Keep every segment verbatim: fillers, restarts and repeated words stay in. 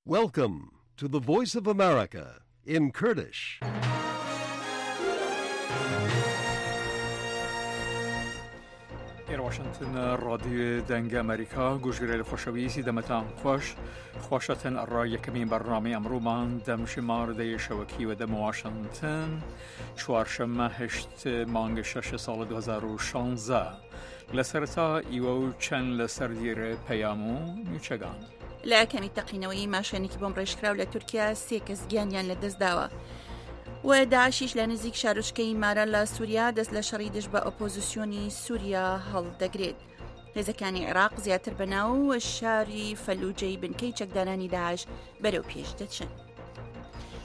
Welcome to the Voice of America in Kurdish. ئێر واشنتن رادیو دەنگ ئەمریکا گوشگرەیل خوەشەویسی دەمەتان خوەش خوەشەتن ئەڕا یەکەمین بەرنامەی ئەمڕوومان دەم شمار دەی شەوەکی وە دەم واشنتن چوارشەممە هەشت مانگ شەش ساڵ دۊ هەزار و شانزە لە سەرەتا ئیوە و چەند لە سەردیر پەیام و نوچەگان. لە ئاکامی تەقینەوەی ماشێنێکی بۆمب ڕێژکراو لە تورکیا سێ کەس گیانیان لەدەستداوە و داعشیش لە نزیک شارۆچکەی مارا لە سووریا دەست لە شەڕی دژ بە ئۆپۆزیسیۆنی سووریا هەڵدەگرێت. هێزەکانی عێراق زیاتر بەناو شاری فەلوجەی بنکەی چەکدارانی داعش بەرەو پێش دەچن.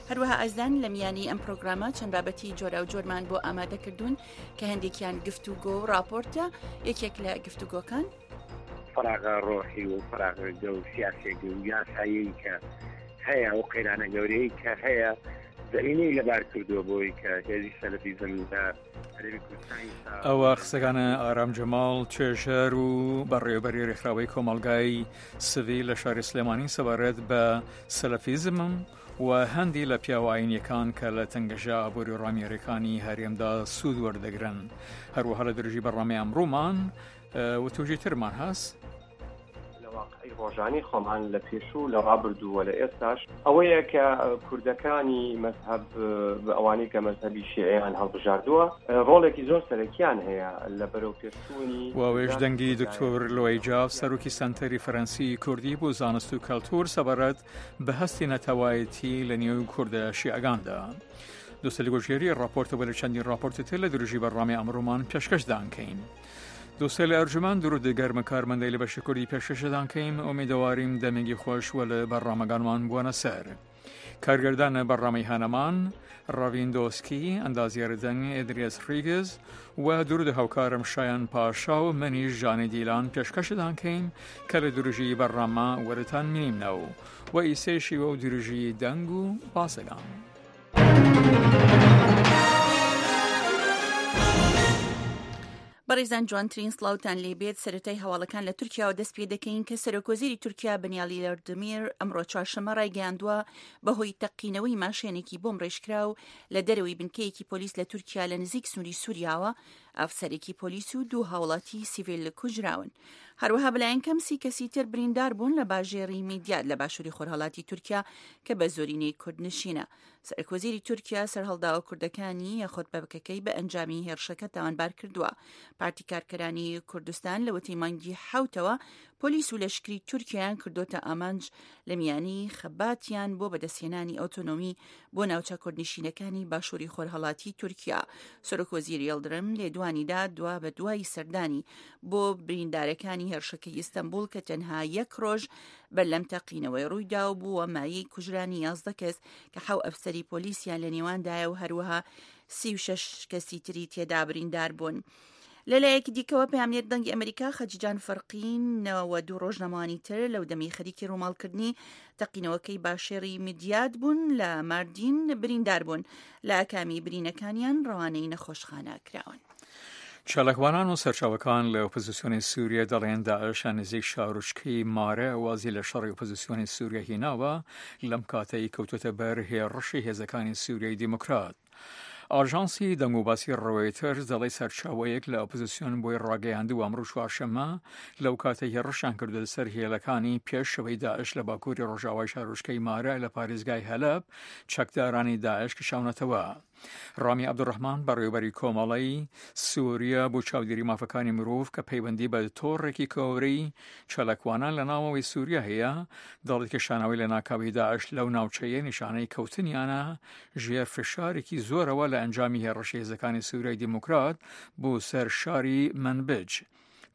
هەروەها ئازدان لە میانی ئەم پرۆگرامە چەند بابەتی جۆرا و جۆرمان بۆ ئامادەکردوون کە هەندێکیان گفتوگۆ و راپۆرتە، یەکێک لە گفتوگۆکان فراغە ڕۆحی و فراغە گەو سیاسێک و یاسایی کە هەیە و قەیرانە گەورەی کە هەیە زەمینەی لەبار کردووە بۆی کە هێزی سەلەفیزم لە هەرێمی کوردستان ئەوە قسەکانە ئارام جەماڵ توێژەر و بەڕێوەبەری ڕێکخراوەی کۆمەڵگای سڤیل لە شاری سلێمانی سەبارەت بە سەلەفیزم و هەندی لە پیاوە ئاینیەکان کە لە تەنگەژە ئابووری ڕامیاریەکانی هەرێمدا سوود وەردەگرن. هەروەها لە درێژی بەرنامەی ئەمڕۆمان وتوژی ترمان هەست. لە واقعی ڕۆژانی خۆمان لە پێشوو لە ڕابردوو و لە ئێستاش ئەوەیە کە کوردەکانی مەذهب ئەوانەی کە مەذهبی شیعیان هەڵبژاردووە ڕۆڵێکی زۆر سەرەکیان هەیە لە بەرەو پێشچوونی واوێژ دەنگی دکتۆر لۆی جاف سەرۆکی سەنتەری فەرەنسی کوردی بۆ زانست و کەلتور سەبارەت بە هەستی نەتەوایەتی لە نێو کوردە شیعەکاندا. دووستە لەگۆژێری راپۆرتە وە لە چەندین راپۆرتی تر لە درێژی بەرنامەی ئەمڕۆمان پێشکەشدان کەین. دووستە لە ئەرجومان درود گەرمە کارمەندەی لە بەشی کوردی پێشکەشدان کەیم، ئومیدەواریم دەمێکی خۆش وە لە بەرنامەگانمان بووەنە سەر. کارگردان بەرنامەی هانەمان ڕاوین دۆسکی، ئەندازیار دەنگ ئێدریس ڕیگز و درود هاوکارم شایان پاشا و منیش ژانی دیلان پێشکەشدان کەیم کە لە درێژی بەرنامە وەرتان مینیمنەوە و ئیسەیشی وە و درێژی دەنگ و باسەگان. بەڕێزان جوانترین سڵاوتان لێبێت. سەرەتای هەواڵەکان لە تورکیاوە دەست پێ دەکەین کە سەرۆکوەزیری تورکیا بنیالی یڵدرم ئەمڕۆ چوارشەممە ڕایگەیاندووە بەهۆی تەقینەوەی ماشێنێکی بۆم ڕێژکراو لە دەرەوەی بنکەیەکی پۆلیس لە تورکیا لە نزیک سنووری سووریاوە ئەفسەرێکی پۆلیس و دوو هاوڵاتی سیڤیل کوژراون. هەروەها بەلایەن کەم سی کەسی تر بریندار بوون لە باژێڕی میدیات لە باشووری خۆرهەڵاتی تورکیا کە بە زۆرینەی کوردنشینە. سەرۆکوەزیری تورکیا سەرهەڵداوە کوردەکانی یاخود پەکەکەی بە ئەنجامی هێرشەکە تاوانبار کردووە. پارتی کارکەرانی کوردستان لەوەتی مانگی حەوتەوە پۆلیس و لەشکری تورکیایان کردوتە ئامانج لە میانی خەباتیان بۆ بەدەستهێنانی ئۆتۆنۆمی بۆ ناوچە کوردنشینەکانی باشووری خۆرهەڵاتی تورکیا. سەرۆکوەزیر یڵدرم لێدوانیدا دوا بە دوای سەردانی بۆ بریندارەکانی هێرشەکەی ئیستەنبوڵ کە تەنها یەک ڕۆژ بەر لەم تەقینەوەی ڕوویدا و بووە مایەی کوژرانی یازدە کەس کە حەو ئەفسەری پۆلیسیان لە نێواندایە و هەروەها سی و شەش کەسی تری تێدا بریندار بوون. لەلایەکی دیکەوە پەیامنێر دەنگی ئەمریکا خەجیجان فەرقین و دوو ڕۆژنامەوانی تر لەو دەمی خەریکی ڕووماڵکردنی تەقینەوەکەی باشێڕی میدیات بوون لە ماردین بریندار بوون. لە ئاکامی برینەکانیان ڕەوانەی نەخۆشخانە کراون. چالاکوانان و سەرچاوەکان لە ئۆپۆزیسیۆنی سووریا دەڵێن داعش نزیک شارۆچکەی مارە وازی لە شەڕی ئۆپۆزیسیۆنی سووریا هیناوە لەم کاتەی کەوتوتە بەر هێڕشی هێزەکانی سووریای دیموکرات. ئاژانسی دەنگوباسی ڕۆیتەرز دەڵێ سەرچاوەیەک لە ئۆپۆزیسیۆن بۆی ڕاگەیاندووە ئەمڕۆ چوارشەممە لەو کاتەی هێڕشیان کردووە سەر هێلەکانی پێشەوەی داعش لە باکووری ڕۆژاوای شارۆچکەی مارە لە پارێزگای هەلەب چەکدارانی داعش کشاونەتەوە. ڕامی عەبدولڕەحمان بەڕێوەبەری کۆمەڵەی سووریا بۆ چاودێری مافەکانی مرۆڤ کە پەیوەندی بە تۆڕێکی کۆرەی چالاکوانان لە ناوەوەی سووریا هەیە دەڵێت کشانەوەی لە ناکاوی داعش لەو ناوچەیە نیشانەی کەوتنیانە ژێر فشارێکی زۆرەوە لە ئەنجامی هێڕشی هێزەکانی سووریای دیموکرات بۆ سەر شاری منبج.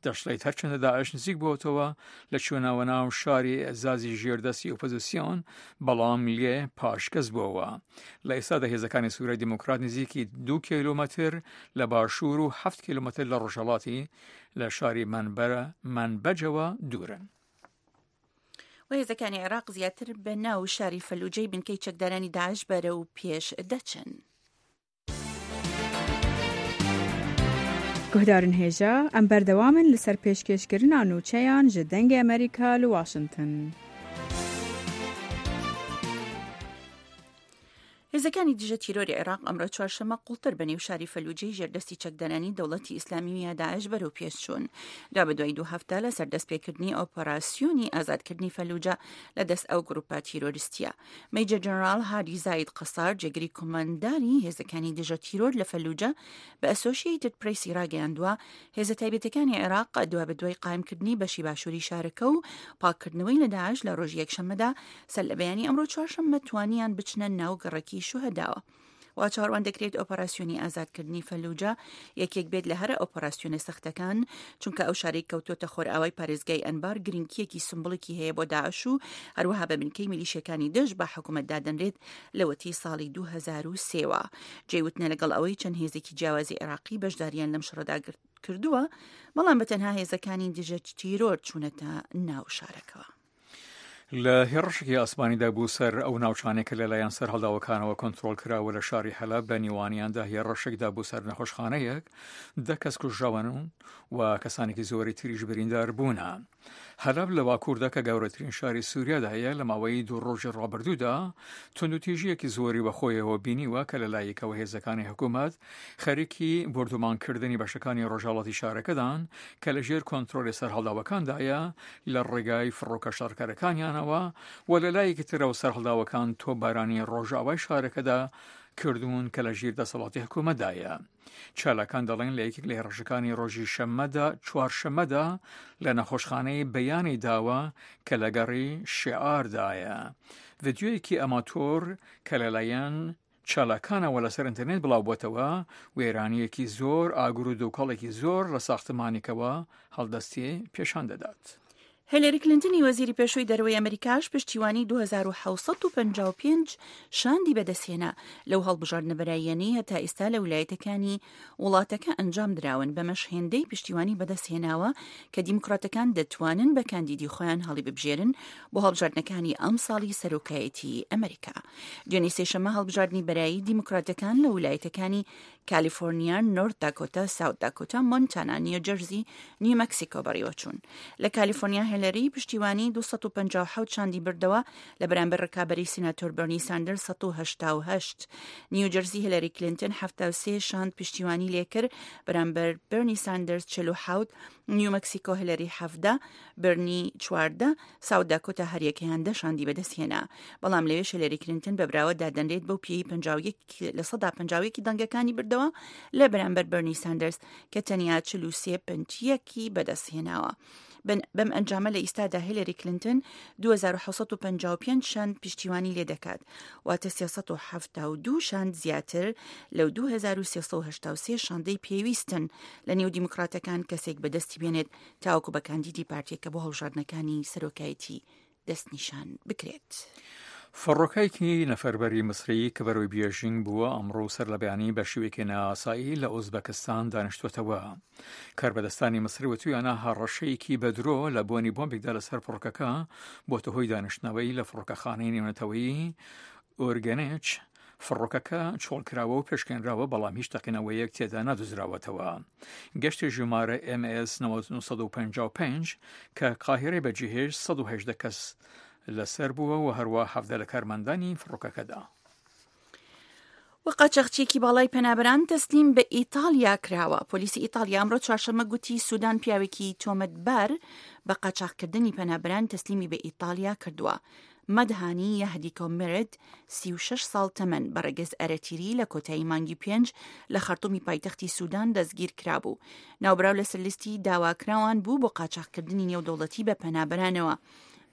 دەشڵێت هەرچەندە داعش نزیک بۆتەوە لە چوونەوە ناو شاری ئەزازی ژێردەستی ئۆپۆزیسیۆن بەڵام لێ پاشگەز بووەوە. لە ئێستادا هێزەکانی سووریای دیموکرات نزیکی دوو کیلۆمەتر لە باشوور و هەفت کیلۆمەتر لە ڕۆژهەڵاتی لە شاری منبەجەوە دوورن. و هێزەکانی عێراق زیاتر بە ناو شاری فەلوجەی بنکەی چەکدارانی داعش بەرەو پێش دەچن. گوهدارن هێژا ئەم بەردەوامن لەسەر پێشکێشکردنا نوچەیان ji دەنگê Amerîka li Washington. هێزەکانی دژە تیرۆری عێراق ئەمڕۆ چوارشەممە قوڵتر بە نێو شاری فەلوجەی ژێردەستی چەکدارانی دەوڵەتی ئیسلامی یا داعش بەرەو پێش چوون. دوابەدوای دوو هەفتە لەسەر دەستپێکردنی ئۆپەراسیۆنی ئازادکردنی فەلوجە لە دەست ئەو گروپە تیرۆریستیە. مەیجەر جەنەراڵ هادی زاید قەسار جێگری کۆمانداری هێزەکانی دژە تیرۆر لە فەلوجە بە ئەسۆشیەیتد پرێسی ڕاگەیاندووە هێزە تایبەتەکانی عێراق دوابەدوای قایمکردنی بەشی باشووری شارەکە و پاککردنەوەی لە داعش لە ڕۆژی یەکشەممەدا سەر لە بەیانی ئەمڕۆ چوارشەممە توانیان بچنە ناو گەڕەکی شوهەداوە. وا چاوەڕوان دەکرێت ئۆپەراسیۆنی ئازادکردنی فەلوجە یەکێک بێت لە هەرە ئۆپەراسیۆنە سەختەکان، چونکە ئەو شارەی کەوتۆتە خۆرئاوای پارێزگای ئەنبار گرنگییەکی سمبوڵیکی هەیە بۆ داعش و هەروەها بە بنکەی میلیشیەکانی دژ بە حکومەت دادەنرێت لەوەتی ساڵی دوو هەزار و سێ وە. جێی وتنە لەگەڵ ئەوەی چەند هێزێکی جیاوازی عێراقی بەشداریان لەم شەڕەدا کردووە، بەڵام بە تەنها هێزەکانی دژە تیرۆر چوونەتە ناو شارەکەوە. لە هێڕشێکی ئاسمانیدا بوو سەر ئەو ناوچانەی کە لەلایەن سەرهەڵداوەکانەوە کۆنترۆڵ کراوە لە شاری حەلەب بە نیوانیاندا هێڕشێکدا بوو سەر نەخۆشخانەیەک دە کەس کوژراون و کەسانێکی زۆری تریش بریندار بوونە. حەلەب لە باکووردا کە گەورەترین شاری سووریادا هەیە لە ماوەی دوو ڕۆژی ڕابردوودا توندوتیژییەکی زۆری بەخۆیەوە بینیوە کە لەلایەکەوە هێزەکانی حکوومەت خەریکی بۆردومانکردنی بەشەکانی ڕۆژهەڵاتی شارەکەدان کە لەژێر کۆنترۆلی سەرهەڵداوەکاندایە لە ڕێگای فڕۆکە شەڕکەرەکانیانەوە و لە لایەکی ترەوە سەرهەڵداوەکان تۆپبارانی ڕۆژئاوای شارەکەدا کردوون کە لە ژیر دەسەڵاتی حکوومەتدایە. چالاکان دەڵێن لە یەکێک لە هێڕشەکانی ڕۆژی شەممەدا چوارشەممەدا لە نەخۆشخانەی بەیانی داوە کە لە گەڕی شیعاردایە ڤیدیۆیەکی ئەماتۆر کە لەلایەن چالاکانەوە لەسەر ئینتەرنێت بڵاوبووەتەوە، وێرانییەکی زۆر، ئاگر و دووکەڵێکی زۆر لە ساختمانێکەوە هەڵدەستێ پێشان دەدات. هیلەری کلینتنی وەزیری پێشووی دەرەوەی ئەمریکاش پشتیوانی دوو هەزار و حەوت سەد و پەنجا و پێنج شاندی بەدەستهێنا لەو هەڵبژاردنە بەراییانەی هەتا ئێستا لە ویلایەتەکانی وڵاتەکە ئەنجام دراون، بەمەش هێندەی پشتیوانی بەدەستهێناوە کە دیموکراتەکان دەتوانن بە کاندیدی خۆیان هەڵیببژێرن بۆ هەڵبژاردنەکانی ئەمساڵی سەرۆکایەتی ئەمریکا. دوێنێ سێشەممە هەڵبژاردنی بەرایی دیموکراتەکان لە ویلایەتەکانی کالیفۆرنیا، نۆرت داکۆتا، ساوت داکۆتا، مۆنتانا، نیوجەرزی، نیو مەکسیکۆ بەڕێوەچوون. لە کالیفۆرنیا هێلەری پشتیوانی دوو سەد و پەنجا و حەوت شاندی بردەوە لە بەرامبەر ڕکابەری سیناتۆر بەرنی ساندەرز سەد و هەشتا و هەشت. نیوجەرزی هێلەری کلینتن حەفتا و سێ شاند پشتیوانی لێکرد بەرامبەر بەرنی ساندەرز چل و حەوت، نیو مەکسیکۆ هێلەری حەڤدە، بەرنی چواردە، ساوت داکۆتا هەریەکەیان دە شاندی بەدەستهێنا. بەڵام لەوێش هێلەری کلینتن بە براوە دادەنرێت بەو پێی پەنجا و یەک لە سەدا پەنجا و یەکی دەنگەکانی بردەوە لە بەرامبەر بەرنی ساندەرز کە تەنیا چل و سێ پەنج یەکی بەدەستهێناوە. بەم ئەنجامە لە ئیستادا هیلەری کلینتن دوو هەزار و حەوت سەد و پەنجا و پێنج شاند پشتیوانی لێ دەکات، واتە سێ سەد و حەفتا و دوو شاند زیاتر لەو دوو هەزار و سێ سەد و هەشتا و سێ شاندەی پێویستن لە نێو دیموکراتەکان کەسێک بەدەستی بێنێت تاوەکو بە کاندیدی پارتیەکە بۆ هەڵبژاردنەکانی سەرۆکایەتی دەستنیشان بکرێت. فڕۆکەیەکی نەفەربەری میسری کە بەرەوەی بێژینگ بووە ئەمڕۆ سەر لە بەیانی بە شێوەیەکی نائاسایی لە ئۆزبەکستان دانیشتووەتەوە. کاربەدەستانی میسری وتویانە هەڕەشەیەکی بەدرۆ لە بۆنی بۆمبێکدا لەسەر فڕۆکەکە بۆتە هۆی دانیشتنەوەی لە فڕۆکەخانەی نێونەتەوەیی ئۆرگەنێچ. فڕۆکەکە چۆڵکراوە و پێشکێنراوە بەڵام هیچ تەقینەوەیەک تێدا نادۆزراوەتەوە. گەشتی ژمارە ئێم ئێس نەوەد و نۆ سەد و پەنجا و پێنج کە قاهیرەی بەجێهێشت سەد و هەژدە کەس لەسەر بووە و هەروە حەڤدە لە کارمەندانی فڕۆکەکەدا. و قاچاخچیەکی باڵای پەنابەران تەسلیم بە ئیتالیا کراوە. پۆلیسی ئیتالیا ئەمڕۆ چوارشەممە گوتی سودان پیاوێکی تۆمەتبار بە قاچاخکردنی پەنابەران تەسلیمی بە ئیتالیا کردووە. مەدهانی یەهدیکۆ مرد سی و شەش ساڵ تەمەن بە ڕەگەز ئەرەتیری لە کۆتایی مانگی پێنج لە خەرتومی پایتەختی سودان دەستگیر کرابوو. ناوبراو لەسەر لیستی داواکراوان بوو بۆ قاچاخکردنی نێودەوڵەتی بە پەنابەرانەوە.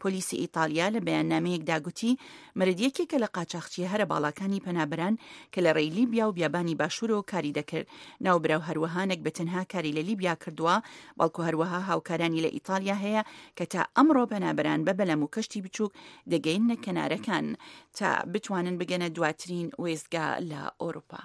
پۆلیسی ئیتالیا لە بەیاننامەیەکدا گوتی مرد یەکێکە لە قاچاخچیە هەرە باڵاکانی پەنابەران کە لە ڕێی لیبیا و بیابانی باشوورەوە کاری دەکرد. ناوبراو هەروەها نەک بە تەنها کاری لە لیبیا کردووە، بەڵکو هەروەها هاوکارانی لە ئیتالیا هەیە کە تا ئەمڕۆ پەنابەران بە بەلەم و کەشتی بچووک دەگەینە کەنارەکان تا بتوانن بگەنە دواترین وێستگە لە ئەوروپا.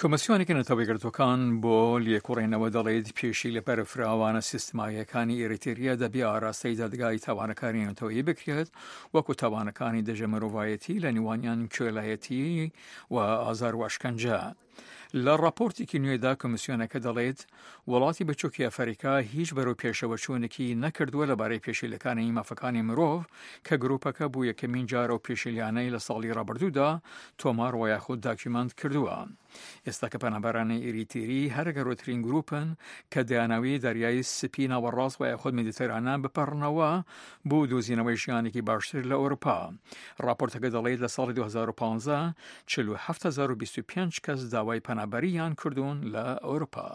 کۆمسیۆنێکی نەتەوەیەکگرتووەکان بۆ لێکۆڵینەوە دەڵێت پێشی لە بەرفراوانە سیستماییەکانی ئێریتریا دەبێ ئاراستەی دادگای تاوانەکانی نەتەوەیی بکرێت وەکو تاوانەکانی دژە مرۆڤایەتی لە نێوانیان کوێلایەتی و ئازار و ئەشکەنجە. لە ڕاپۆرتێکی نوێدا کۆمیسیۆنەکە دەڵێت وڵاتی بچووکی ئەفریکا هیچ بەرەو پێشەوەچوونێکی نەکردووە لەبارەی پێشیلەکانی مافەکانی مرۆڤ کە گروپەکە بۆ یەکەمین جارە و پێشیلیانەی لە ساڵی ڕابردوودا تۆمار و یاخود داکیومنت کردووە. ئێستا کە پەنابەرانی ئیریتیری هەرە گەورەترین گروپن کە دەیانەوێت دەریای سپی ناوەڕاست و یاخود مێدیتەرانە بپەڕنەوە بۆ دۆزینەوەی ژیانێکی باشتر لە ئەوروپا. ڕاپۆرتەکە دەڵێت لە ساڵی دوو هەزار و پازدە چل و حەفت هەزار و بیست و پێنج کەس داوای پەنابەریان کردوون لە ئەوروپا.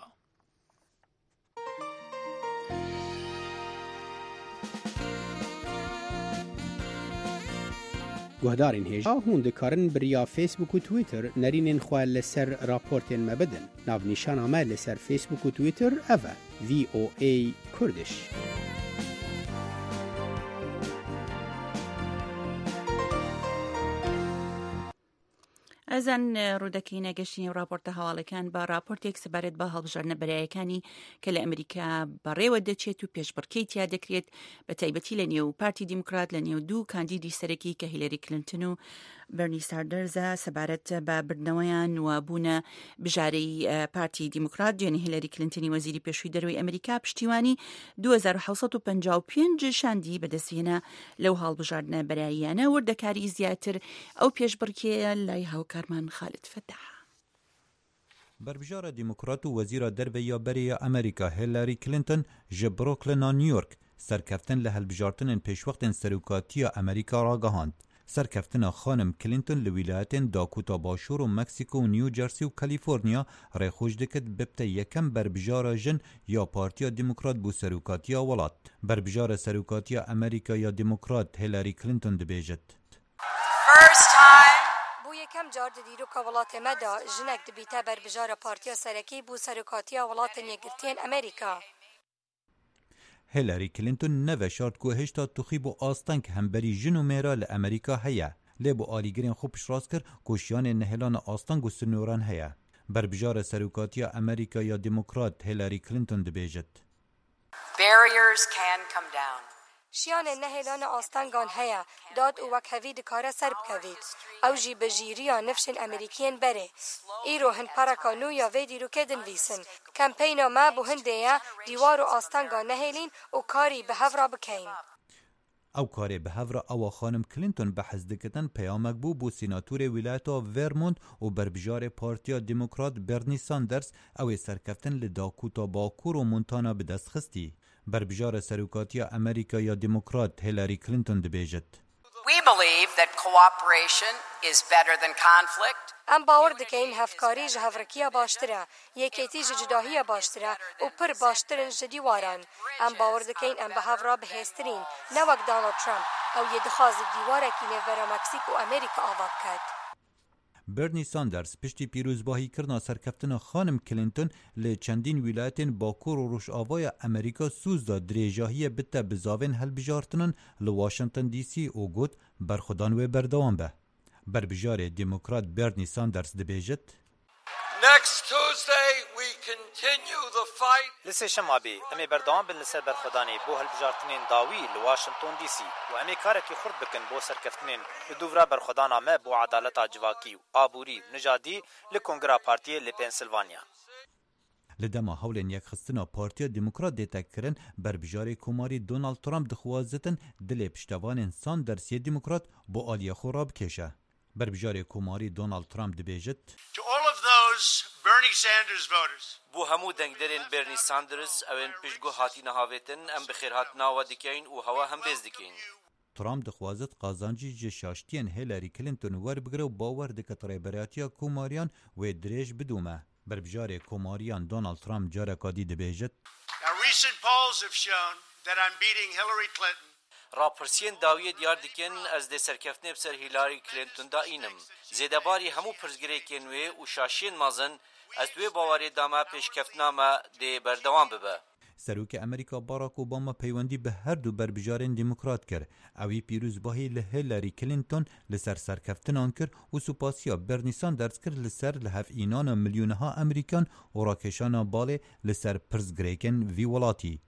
Guhdarên hêja hûn dikarin bi riya Facebook û Twitter nerînên xwe li ser raportên me bidin. Navnîşana me li ser Facebook û Twitter ev e: V O A Kurdish. ئەزان ڕوودەکەینە گەشتینی راپۆرتە هەواڵەکان بە راپۆرتێک سەبارەت بە هەڵبژاردنە بەرایەکانی کە لە ئەمریکا بەڕێوە دەچێت و پێشبڕکێی تیا دەکرێت، بە تایبەتی لە نێو پارتی دیموکرات لە نێو دوو کاندیدی سەرەکی کە هیلەری کلینتن و بەرنی ساندەرزە سەبارەت بە بردنەوەیان و بوونە بژارەی پارتی دیموکرات. دوێنێ هیلەری کلینتنی وەزیری پێشووی دەرەوەی ئەمریکا پشتیوانی دوو هەزار و حەوت سەد و پەنجا و پێنج شاندی بەدەستهێنا لەو هەڵبژاردنە بەراییانە. وردەکاری زیاتر ئەو پێشبڕکێیە لای هاوکارمان خالد فەتاح. بەربژارە دیموکرات و وەزیرە دەرەوەی بەرەی ئەمریکا هیلاری کلینتۆن ji Brooklyn New York سەرکەفتن لە هەڵبژاردنên پێشوەختên serokatiya Amerîka ragihand. Serkeftina xanim Clinton li wîlayetên Dakota Başûr û Meksîko û New Jersey û Kaliforniya rêxweş dikit bibte yekem berbijara jin ya Partiya Demokrat bû serokatiya welat. Berbijara serokatiya Amerîka ya Demokrat Hillary Clinton dibêjit. بۆ یەکەم جار di dîroka welatê me de jinek dibîte berbijara Partiya Serekî bû serokatiya Welatên Yekgirtiyên Amerîka. Hillary Clinton neveşart ku hêşta tuxî bû asteng hemberî jin û mêra li Amerîka heye. Lê bû alîgirên xwe piştrast kir ku şiyanên nehêlana asteng û sinoran heye. Berbijara serokatiya Amerîka ya Demokrat Hillary Clinton dibêjit. Barriers can come down. Şiyanên nehêlana astengan heye, dad û wekhevî dikare ser bikevît. Ew jî bi jîriya nifşên Amerîkiyên berê. Îro hin pereka nû ya vê dîrokê dinivîsin. Kempeyna me bo hindê ye dîwar û astengan nehêlîn û karî bi hev re bikeyn. Ew karê bi hev re ewa xanim Clinton behs dikitin peyamek bû bû sînatorê wîlayeta Vermont û berbijarê Partiya Demokrat Bernie Sanders ew ê serkeftin li Dakota Bakur û Montana bi dest xistî. Berbijara serokatiya Amerîka ya Demokrat Hillary Clinton dibêjit. We believe that cooperation is better than conflict. Em bawer dikeyn hevkarî ji hevrikiya baştir e, yekêtî ji cudahiya baştir e û pir baştirin ji dîwaran. Em bawer dikeyn em bi hev re bihêztirîn, ne wek Donald Trump, ew yê dixwaze dîwarekî nêvbera Meksîk û Amerîka ava biket. Bernie Sanders piştî pîrozbahîkirina serkeftina xanim Clinton li çendîn wîlayetên Bakur û Rojavaya Amerîka soz da dirêjahiyê bite bizavên hilbijartinan li Washington D C û got berxwedan wê berdewam be. Berbijarê Demokrat Bernie Sanders dibêjit. Next Tuesday we continue the fight. Li sêşema bê em ê berdewam bin li ser berxwedanê bo hilbijartinên dawî li Washington D C û em ê karekî xurt bikin bo serkeftinên li dûvra berxwedana me bo edaleta civakî û aborî û nijadî li Kongra Partiyê li Pennsylvania. Li dema hewlên yekxistina Partiya Demokrat dê kirin, berbijarê Komarî Donald Trump dixwazitin dilê piştevanên Sanders yê Demokrat bo aliyê xwe rabikêşe. Berbijarê Komarî Donald Trump dibêjit. To all of those Bernie Sanders voters. Bû hemû dengderên Bernie Sanders ew ên piştguh hatine havêtin em bi xêrhatina we dikeyn û hewa hembêz dikeyn. Trump dixwazit qazancî ji şaştiyên Hillary Clinton werbigire û bawer dike rêberatiya Komariyan wê dirêj bidome. Berbijarê Komariyan Donald Trump careka dî dibêjit. Now recent polls have shown that I'm beating Hillary Clinton. Rapirsiyên dawiyê diyar dikin ez dê serkeftinê bi ser Hillary Clinton da înim. Zêdebarî hemû pirsgirêkên wê û şaşiyên mezin ez wê bawerê da me pêşkeftina me dê berdewam bibe. Serokê Amerîka Barack Obama peywendî bi her du berbijarên Demokrat kir. Ewî pîrozbahî li Hillary Clinton li ser serkeftinan kir û supasiya Bernie Sanders kir li ser lihevînana milyoneha Amerîkan û rakêşana balê li ser pirsgirêkên vî welatî.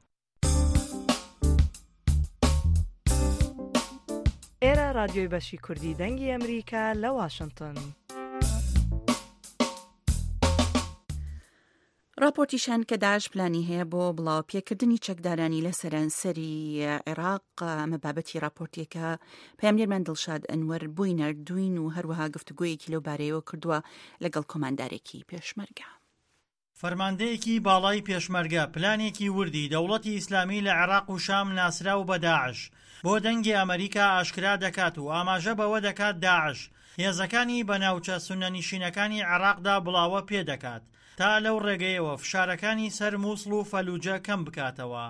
ئێرە رادیۆی بەشی کوردی دەنگی ئەمریکا لە واشنگتۆن. ڕاپۆرتیش هەن کە داعش پلانی هەیە بۆ بڵاوپێکردنی چەکدارانی لە سەرانسەری عێراق. ئەمە بابەتی ڕاپۆرتێکە پەیامنێرمان دڵشاد ئەنوەر بۆی ناردووین و هەروەها گفتوگۆیەکی لەو بارەیەوە کردووە لەگەڵ کۆماندارێکی پێشمەرگە. فەرماندەیەکی باڵای پێشمەرگە پلانێکی وردی دەوڵەتی ئیسلامی لە عێراق و شام ناسراو بە داعش بۆ دەنگی ئەمەریکا ئاشکرا دەکات و ئاماژە بەوە دەکات داعش هێزەکانی بە ناوچە سوننەنشینەکانی عێراقدا بڵاوە پێدەکات تا لەو ڕێگەیەوە فشارەکانی سەر موسڵ و فەلوجە کەم بکاتەوە.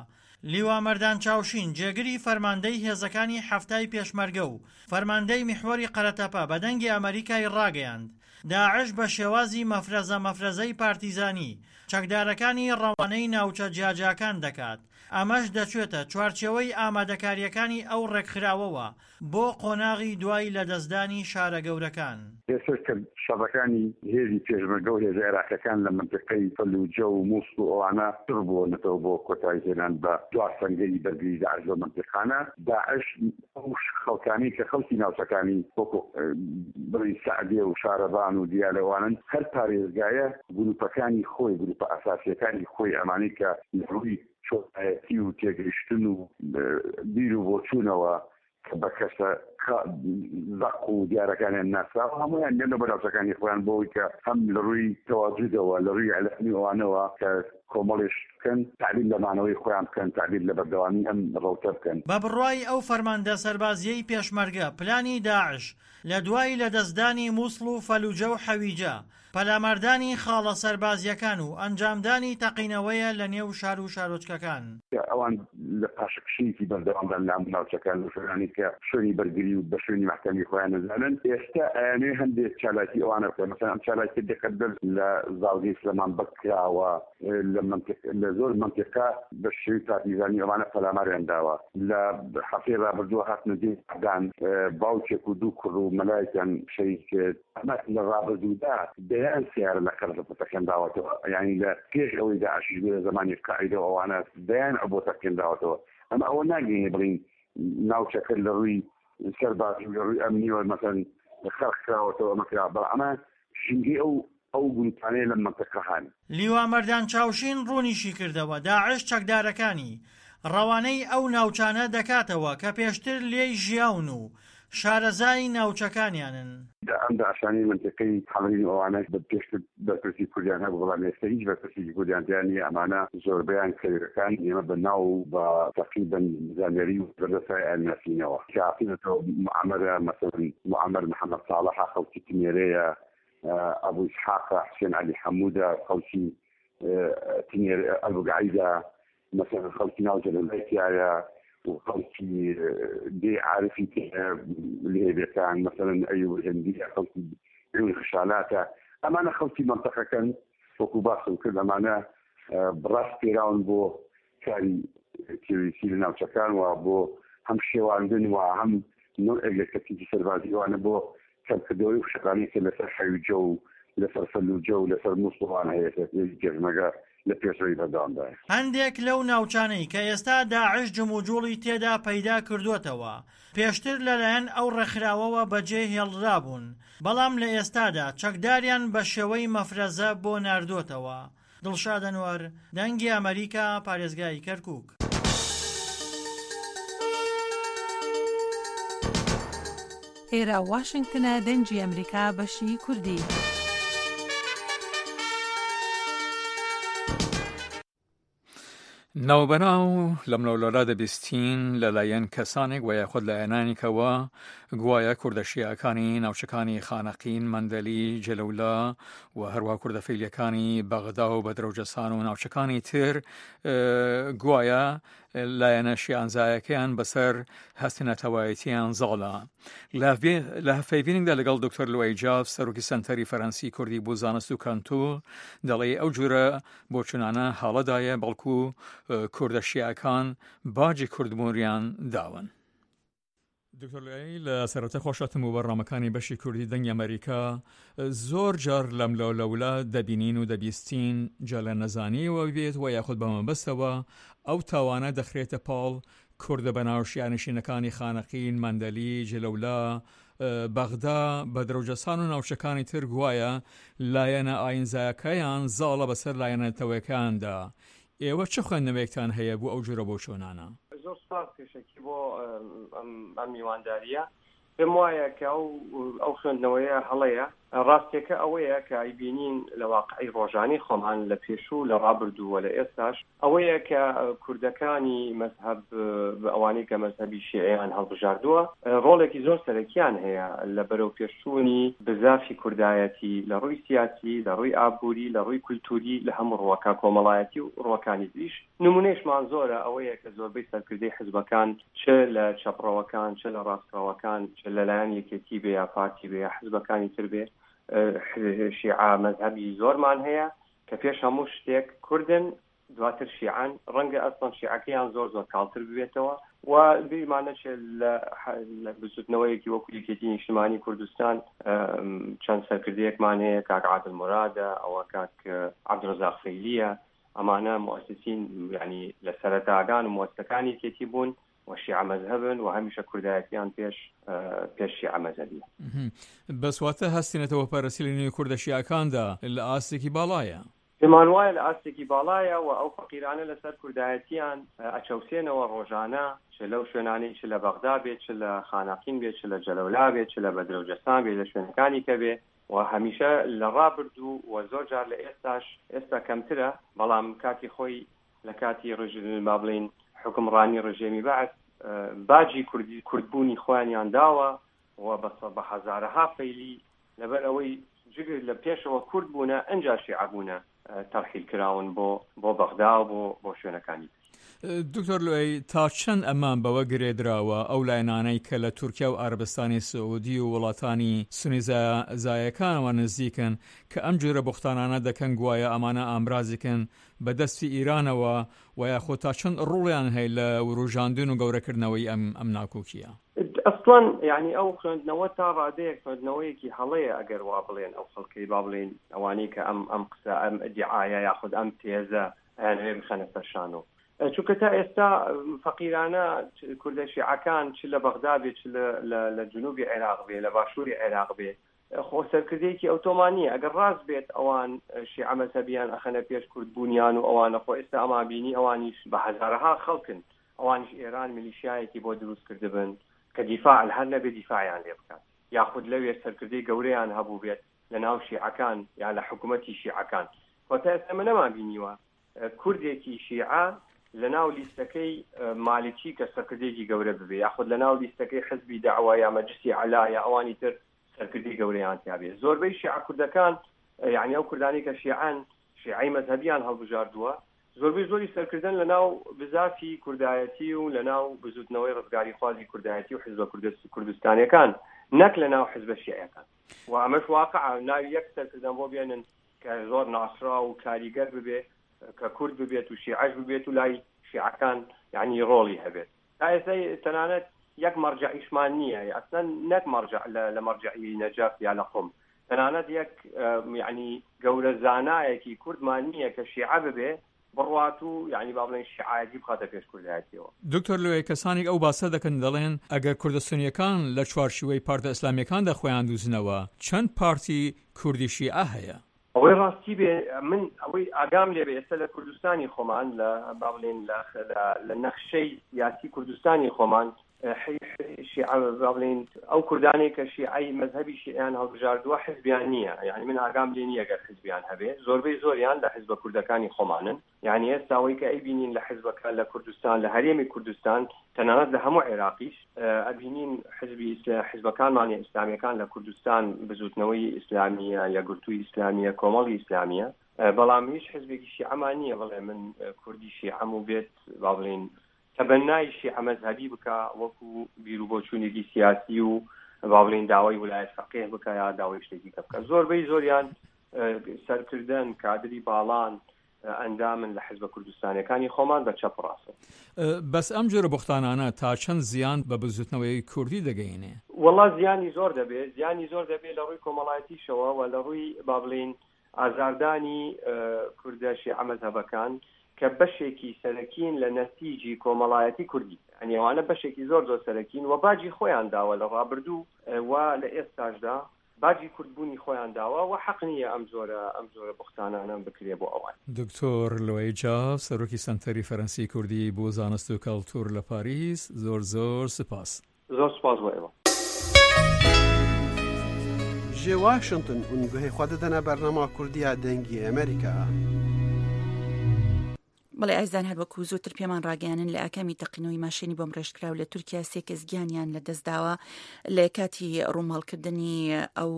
لیوا مەردان چاوشین، جێگری فەرماندەی هێزەکانی حەفتای پێشمەرگە و فەرماندەی میحوەری قەرەتەپە بە دەنگی ئەمەریکای ڕاگەیاند، داعش بە شێوازی مەفرەزە مەفرەزەی پارتیزانی چەکدارەکانی ڕەوانەی ناوچە جیاجیاکان دەکات، ئەمەش دەچێتە چوارچێوەی ئامادەکارییەکانی ئەو ڕێکخراوەوە بۆ قۆناغی دوای لەدەستدانی شارە گەورەکان. ئێستاش کە شەڕەکانی هێزی پێشمەرگە و هێزە عێراقیەکان لە مەنتیقەی فەلوجە و موسڵ و ئەوانە چڕ بووەنەتەوە بۆ کۆتایی هێنان بە دوا سەنگەری بەرگری داعش لەو مەنتیقانە، داعش ئەو خەڵکانەی کە خەڵکی ناوچەکانی وەکو بڵێین سەعدێ و شارەبان و دیالە ئەوانەن، هەر پارێزگایە گروپەکانی خۆی، گروپە ئەساسیەکانی خۆی ئەمانەی کە لە ڕووی چۆنایەتی و تێگەیشتن و بیر و بۆچوونەوە کە بە کەسە زەق و دیارەکانیان ناسراوە هەموویان دێنەوە بە ناوچەکانی خۆیان بۆ ئەوەی کە هەم لە ڕووی تەواجودەوە لە ڕووی ئیعلامی ئەوانەوە کە کۆمەڵێ شت بکەن تەعبیر لە مانەوەی خۆیان بکەن تەعبیر لە بەردەوامی ئەم ڕەوتە بکەن. بە بڕوای ئەو فەرماندە سەربازییەی پێشمەرگە، پلانی داعش لە دوای لەدەستدانی موسڵ و فەلوجە و حەویجە، پەلاماردانی خاڵە سەربازییەکان و ئەنجامدانی تەقینەوەیە لە نێو شار و شارۆچکەکان. ئەوان لە پاشەکشەیەکی بەردەوامدان لە هەموو ناوچەکان لەو شوێنانەی کە شوێنی بەرگری و بە شوێنی مەحکەمی خۆیان دەزانن، ئێستا ئەیانەوێ هەندێک چالاکی ئەوانە بکەن، مەسەلەن ئەم چالاکیە دقەت بەر لە زاڵگەی سلێمان بەگ کراوە، لە مەنتیق لە زۆر مەنتیقە بە شێوەی پارتیزانی ئەوانە پەلاماریان داوە، لە هەفتەی ڕابردووە هاتنە دێی عەدان باوکێک و دوو کوڕ و مەلایەکیان شەهید کرد. ئەمە لە ڕابردوودا دەیان سەیارە لە قەرەتەپە تەقێنراوەتەوە، یانی لە پێش ئەوەی داعشیش بێ لە زەمانی قاعیدە و ئەوانە دەیان عبۆ تەقێنراوەتەوە. ئەمە ئەوە ناگەیەنێ بڵێین ناوچەکە لە ڕووی سەربازی و لە ڕووی ئەمنیەوە مەسەلەن خەرق کراوەتەوە ئەمە کراوە، بەڵام ئەمە ژینگەی ئەو ئەو گرووپانەیە لەم مەنتیقە هەن. لیوا مەردان چاوشین ڕوونیشیکردەوە، داعش چەکدارەکانی ڕەوانەی ئەو ناوچانە دەکاتەوە کە پێشتر لێی ژیاون و شارەزای ناوچەکانیانن. ئەم داعشانەی مەنتیقەی حەمرین و ئەوانە پێشتر بەرپرسی کوردیان هەبوو، بەڵام ئێستا هیچ بەرپرسێکی کوردیان تیا نییە، ئەمانە زۆربەیان کەوێکەکان ئێمە بە ناو و بە تەقریبەن زانیاری و بەردەستای ئەیانناسینەوە. کە هاتوونەتەوە موعەمەرە، مەسەلەن موعەمەر محەمەد ساڵحە خەڵکی تنێرەیە، ئەبو ئیسحاقە، حوسێن عەلی حەموودە خەڵکی تنێر ئەلبوگعەیدە، مەسەلەن خەڵکی ناو جەلەلای تیایە و خەڵکی دێی عارفی تیایە لهێبێکان، مەسەلەن ئەیوب الهندیە خەڵکی عیون خشالاتە، ئەمانە خەڵکی مەنتەقەکەن وەکو باسم کرد ئەمانە ڕاسپێراون بۆ کاری تیرۆریستی لە ناوچەکان و بۆ هەم شێواندن و هەم نەوعێک لە تەکتیکی سەربازی ئەوانە بۆ کەمکردنەوەی فشارانەی کە لەسەر حەویجە و لەسەر فەلوجە و لەسەر موسڵ ئەوانە هەیە کە هێزی پێشمەرگە لە پێشڕەوی بەردەوامدایە. هەندێک لەو ناوچانەی کە ئێستا داعش جموجوڵی تێدا پەیدا کردووەتەوە، پێشتر لەلایەن ئەو ڕێکخراوەوە بەجێ هێڵرابوون، بەڵام لە ئێستادا چەکداریان بە شێوەی مەفرەزە بۆ ناردووەتەوە. دڵشاد ئەنوەر، دەنگی ئەمەریکا، پارێزگای کەرکوک. ئێرە واشنگتنە دەنگی ئەمریکا بەشی کوردی. ناوبەناو لەملەولەولا دەبیستین لەلایەن کەسانێک و یاخود لایەنانێکەوە گوایە کوردە شیعەکانی ناوچەکانی خانەقین، مەندەلی، جەلەولا و هەروەها کوردە فەیلیەکانی بەغدا و بەدرەوجەسان و ناوچەکانی تر گوایە لایەنە شیعەنزایەکەیان بەسەر هەستی نەتەوایەتیان زاڵە. لە هەڤپەیڤینێکدا لەگەڵ دکتۆر لوئەی جاف سەرۆکی سەنتەری فەرەنسی کوردی بۆ زانست و کەلتور دەڵێ ئەو جورە بۆچونانە هەڵەدایە بەڵکو کوردە شیعەکان باجی کوردبوونیان داون. دکتۆر لوئەی لە سەرەتا خۆشهاتن بۆ بەرنامەکانی بەشی کوردی دەنگی ئەمەریکا زۆر جار لەملا لەولا دەبینین و دەبیستین جا لە نەزانیەوە بێت و یاخود بە مەبەستەوە ئەو تاوانە دەخرێتە پاڵ کوردە بەناو شیعەنشینەکانی خانەقین، مەندەلی، جلەولا، بەغدا، بەدرەوجەسان و ناوچەکانی تر گوایە لایەنە ئاینزایەکەیان زاڵە بەسەر لایەنە نەتەوەیەکاندا. ئێوە چ خوێندنەوەیەکتان هەیە بۆ ئەو جۆرە بۆچوونانە؟ زۆر سوپاس پێشەکی بۆ ئەم میواندارییە. پێم وایە کە ئەو ئەو خوێندنەوەیە هەڵەیە. ڕاستیەکە ئەوەیە کە ئەیبینین لە واقعی ڕۆژانەی خۆمان لە پێشوو لە ڕابردوو و لە ئێستاش ئەوەیە کە کوردەکانی مەزهەب ئەوانەی کە مەزهەبی شیعیان هەڵبژاردووە ڕۆڵێکی زۆر سەرەکیان هەیە لە بەرەوپێشچوونی بزافی کوردایەتی لە ڕووی سیاسی، لە ڕووی ئابووری، لە ڕووی کولتووری، لە هەموو ڕووەکە کۆمەڵایەتی و ڕووەکانی تریش. نموونەیشمان زۆرە ئەوەیە کە زۆربەی سەرکردەی حزبەکان چ لە چەپڕەوەکان چ لە ڕاستڕەوەکان چ لەلایەن یەکێتی بێ یا پارتی بێ یا حزبەکانی تر بێ شیعە مەزهەبی زۆرمان هەیە کە پێش هەموو شتێک کوردن دواتر شیعەن، ڕەنگە ئەسڵەن شیعەکەیان زۆر زۆر کاڵتر ببێتەوە و بیرمان نەچێت لە لە بزوتنەوەیەکی وەکو یەکێتی نیشتمانی کوردستان چەند سەرکردەیەکمان هەیە، کاک عادل مورادە، ئەوە کاک عەبدولرەزاق فەیلیە، ئەمانە موئەسسین یعنی لە سەرەتاگان و موئەسسەکانی یەکێتی بوون و شیعە مەزهەبن و هەمیشە کوردایەتیان پێش پێش شیعە مەزهەبیە. بەس واتە هەستی نەتەوەپەرستی لە نێو کوردە شیعەکاندا لە ئاستێکی باڵایە. پێمان وایە لە ئاستێکی باڵایە و ئەو فەقیرانە لەسەر کوردایەتیان ئەچەوسێنەوە ڕۆژانە چ لەو شوێنانەی چ لە بەغدا بێ چ لە خانەقین بێ چ لە جەلەولا بێ چ لە بەدرە و جەسان بێ لە شوێنەکانی کە بێ و هەمیشە لە ڕابردوو و زۆر جار لە ئێستاش ئێستا کەمترە بەڵام کاتی خۆی لە کاتی ڕژ با بڵێین حوکمڕانی ڕژێمی بەعس باجی کوردی کوردبوونی خۆیانیان داوە و بە بە هەزارەها فەیلی لەبەر ئەوەی جگر لە پێشەوە کورد بوونە ئنجا شیعە بوونە تەرحیل کراون بۆ بۆ بەغدا و بۆ بۆ شوێنەکانی تر. دکتۆر لوئەی تا چەند ئەمە بەوە گرێدراوە ئەو لایەنانەی کە لە تورکیا و عەرەبستانی سعودی و وڵاتانی سونی زایەکانەوە نزیکن کە ئەم جۆرە بوختانانە دەکەن گوایە ئەمانە ئامرازیکن بە دەستی ئیرانەوە و یاخۆ تا چەند ڕوڵیان هەیە لە وروژاندن و گەورەکردنەوەی ئەم ئەم ناکۆکیە؟ ئەسڵەن یانی ئەو خوێندنەوە تا ڕادەیەک خوێندنەوەیەکی هەڵەیە ئەگەر وا بڵێن ئەو خەڵکەی با بڵێین ئەوانەی کە ئەم ئەم قسە ئەم ئیدیعایە یاخود ئەم تێزە ئەیانەوێ بخەنە سەر شانۆ چونکە تا ئێستا فەقیرانە کوردە شیعەکان چ لە بەغدا بێ چ لە لە جنوبی عێراق بێ لە باشووری عێراق بێ خۆ سەرکردەیەکی ئەوتۆمان نییە ئەگەر ڕاست بێت ئەوان شیعە مەزهەبیان ئەخەنە پێش کوردبوونیان و ئەوانە خۆ ئێستا ئەمان بینی ئەوانیش بە هەزارەها خەڵکن ئەوانیش ئێران میلیشیایەکی بۆ دروست کردبن کە دیفاع هەر نەبێ دیفاعیان لێ بکات یاخود لەوێ سەرکردەی گەورەیان هەبووبێت لە ناو شیعەکان یا لە حکوومەتی شیعەکان خۆ تا ئێستا ئێمە نەمان بینیوە کوردێکی شیعە لە ناو لیستەکەی مالکی کە سەرکردەیەکی گەورە ببێ یاخود لە ناو لیستەکەی حزبی دەعوە یا مەجلسی عەلا یا ئەوانی تر سەرکردەی گەورەیان تیا بێ زۆربەی شیعە کوردەکان یعنی ئەو کوردانەی کە شیعەن شیعەی مەزهەبیان هەڵبژاردووە زۆربەی زۆری سەرکردەن لە ناو بزافی کوردایەتی و لە ناو بزوتنەوەی ڕزگاریخوازی کوردایەتی و حزبە کوردستانیەکان نەک لە ناو حزبە شیعەکان و ئەمەش واقعە ناوی یەک سەرکردەم بۆ بێنن کە زۆر ناسراو و کاریگەر ببێ کە کورد ببێت و شیعەش ببێت و لای شیعەکان یعنی ڕۆڵی هەبێت تا ئێستا تەنانەت یەک مەرجەعیشمان نییە ئەسڵەن نەک مەرجەع لە مەرجەعی نەجەف یا لە قوم تەنانەت یەک یعنی گەورە زانایەکی کوردمان نییە کە شیعە ببێ بڕوات و یعنی با بڵێن شیعایەتی بخاتە پێش کوردایەتیەوە. دکتۆر لوئەی کەسانێک ئەو باسە دەکەن دەڵێن ئەگەر کوردە سونیەکان لە چوارچیوەی پارتە ئیسلامیەکاندا خۆیان دوزنەوە چەند پارتی کوردی شیعە هەیە؟ ئەوەی ڕاستی بێ من ئەوەی ئاگام لێ بێ ئێستا لە کوردستانی خۆمان لە با بڵێین لە لە نەخشەی سیاسی کوردستانی خۆمان شیعە با بڵێین ئەو کوردانەی کە شیعەی مەزهەبی شیعیان هەڵبژاردووە حزبیان نییە یعنی من ئاگام لێ نییە گەر حزبیان هەبێ زۆربەی زۆریان لە حزبە کوردەکانی خۆمانن یعنی ئێستا ئەوەی کە ئەیبینین لە حزبەکان لە کوردستان لە هەرێمی کوردستان تەنانەت لە هەموو عێراقیش ئەبینین حزبی حزبەکانمان ئیسلامیەکان لە کوردستان بزوتنەوەی ئیسلامیە یەکگرتووی ئیسلامیە کۆمەڵی ئیسلامیە بەڵام هیچ حزبێکی شیعەمان نییە بڵێ من کوردی شیعەم و بێت با بڵێین تەبەنای شیعە مەزهەبی بکا وەکو بیروبۆچوونێکی سیاسی و با بڵێین داوای ولایەت فەقیه بکا یا داوای شتێکی کە بکا زۆربەی زۆریان سەرکردەن کادری باڵان ئەندامن لە حزبە کوردستانیەکانی خۆمان بە چەپ و ڕاستەوە. بەس ئەم جۆرە بوختانانە تا چەند زیان بە بزوتنەوەی کوردی دەگەینێ؟ وەڵا زیانی زۆر دەبێ، زیانی زۆر دەبێ لە ڕووی کۆمەڵایەتیشەوە و لە ڕووی با بڵێین ئازاردانی کوردە شیعە مەزهەبەکان کە بەشێکی سەرەکین لە نەسیجی کۆمەڵایەتی کوردی. یانی ئەوانە بەشێکی زۆر زۆر سەرەکین و باجی خۆیان داوە لە ڕابردوو و لە ئێستاشدا باجی کوردبوونی خۆیان داوە و حەق نییە ئەم جۆرە ئەم جۆرە بوختانانە بکرێ بۆ ئەوان. دکتۆر لوئەی جاف، سەرۆکی سەنتەری فەرەنسی کوردی بۆ زانست و کەڵتوور لە پاریس، زۆر زۆر سپاس. زۆر سپاس بۆ ئێوە. Ji Washington hûn guhê xwe didine bernama Kurdî ya Dengê Amerîka. بەڵێ ئازیزان هەر وەکو زووتر پێمان ڕاگەیانن لە ئاکامی تەقینەوەی ماشێنی بۆمڕێژکراو لە تورکیا سێ کەس گیانیان لەدەستداوە لە کاتی ڕووماڵکردنی ئەو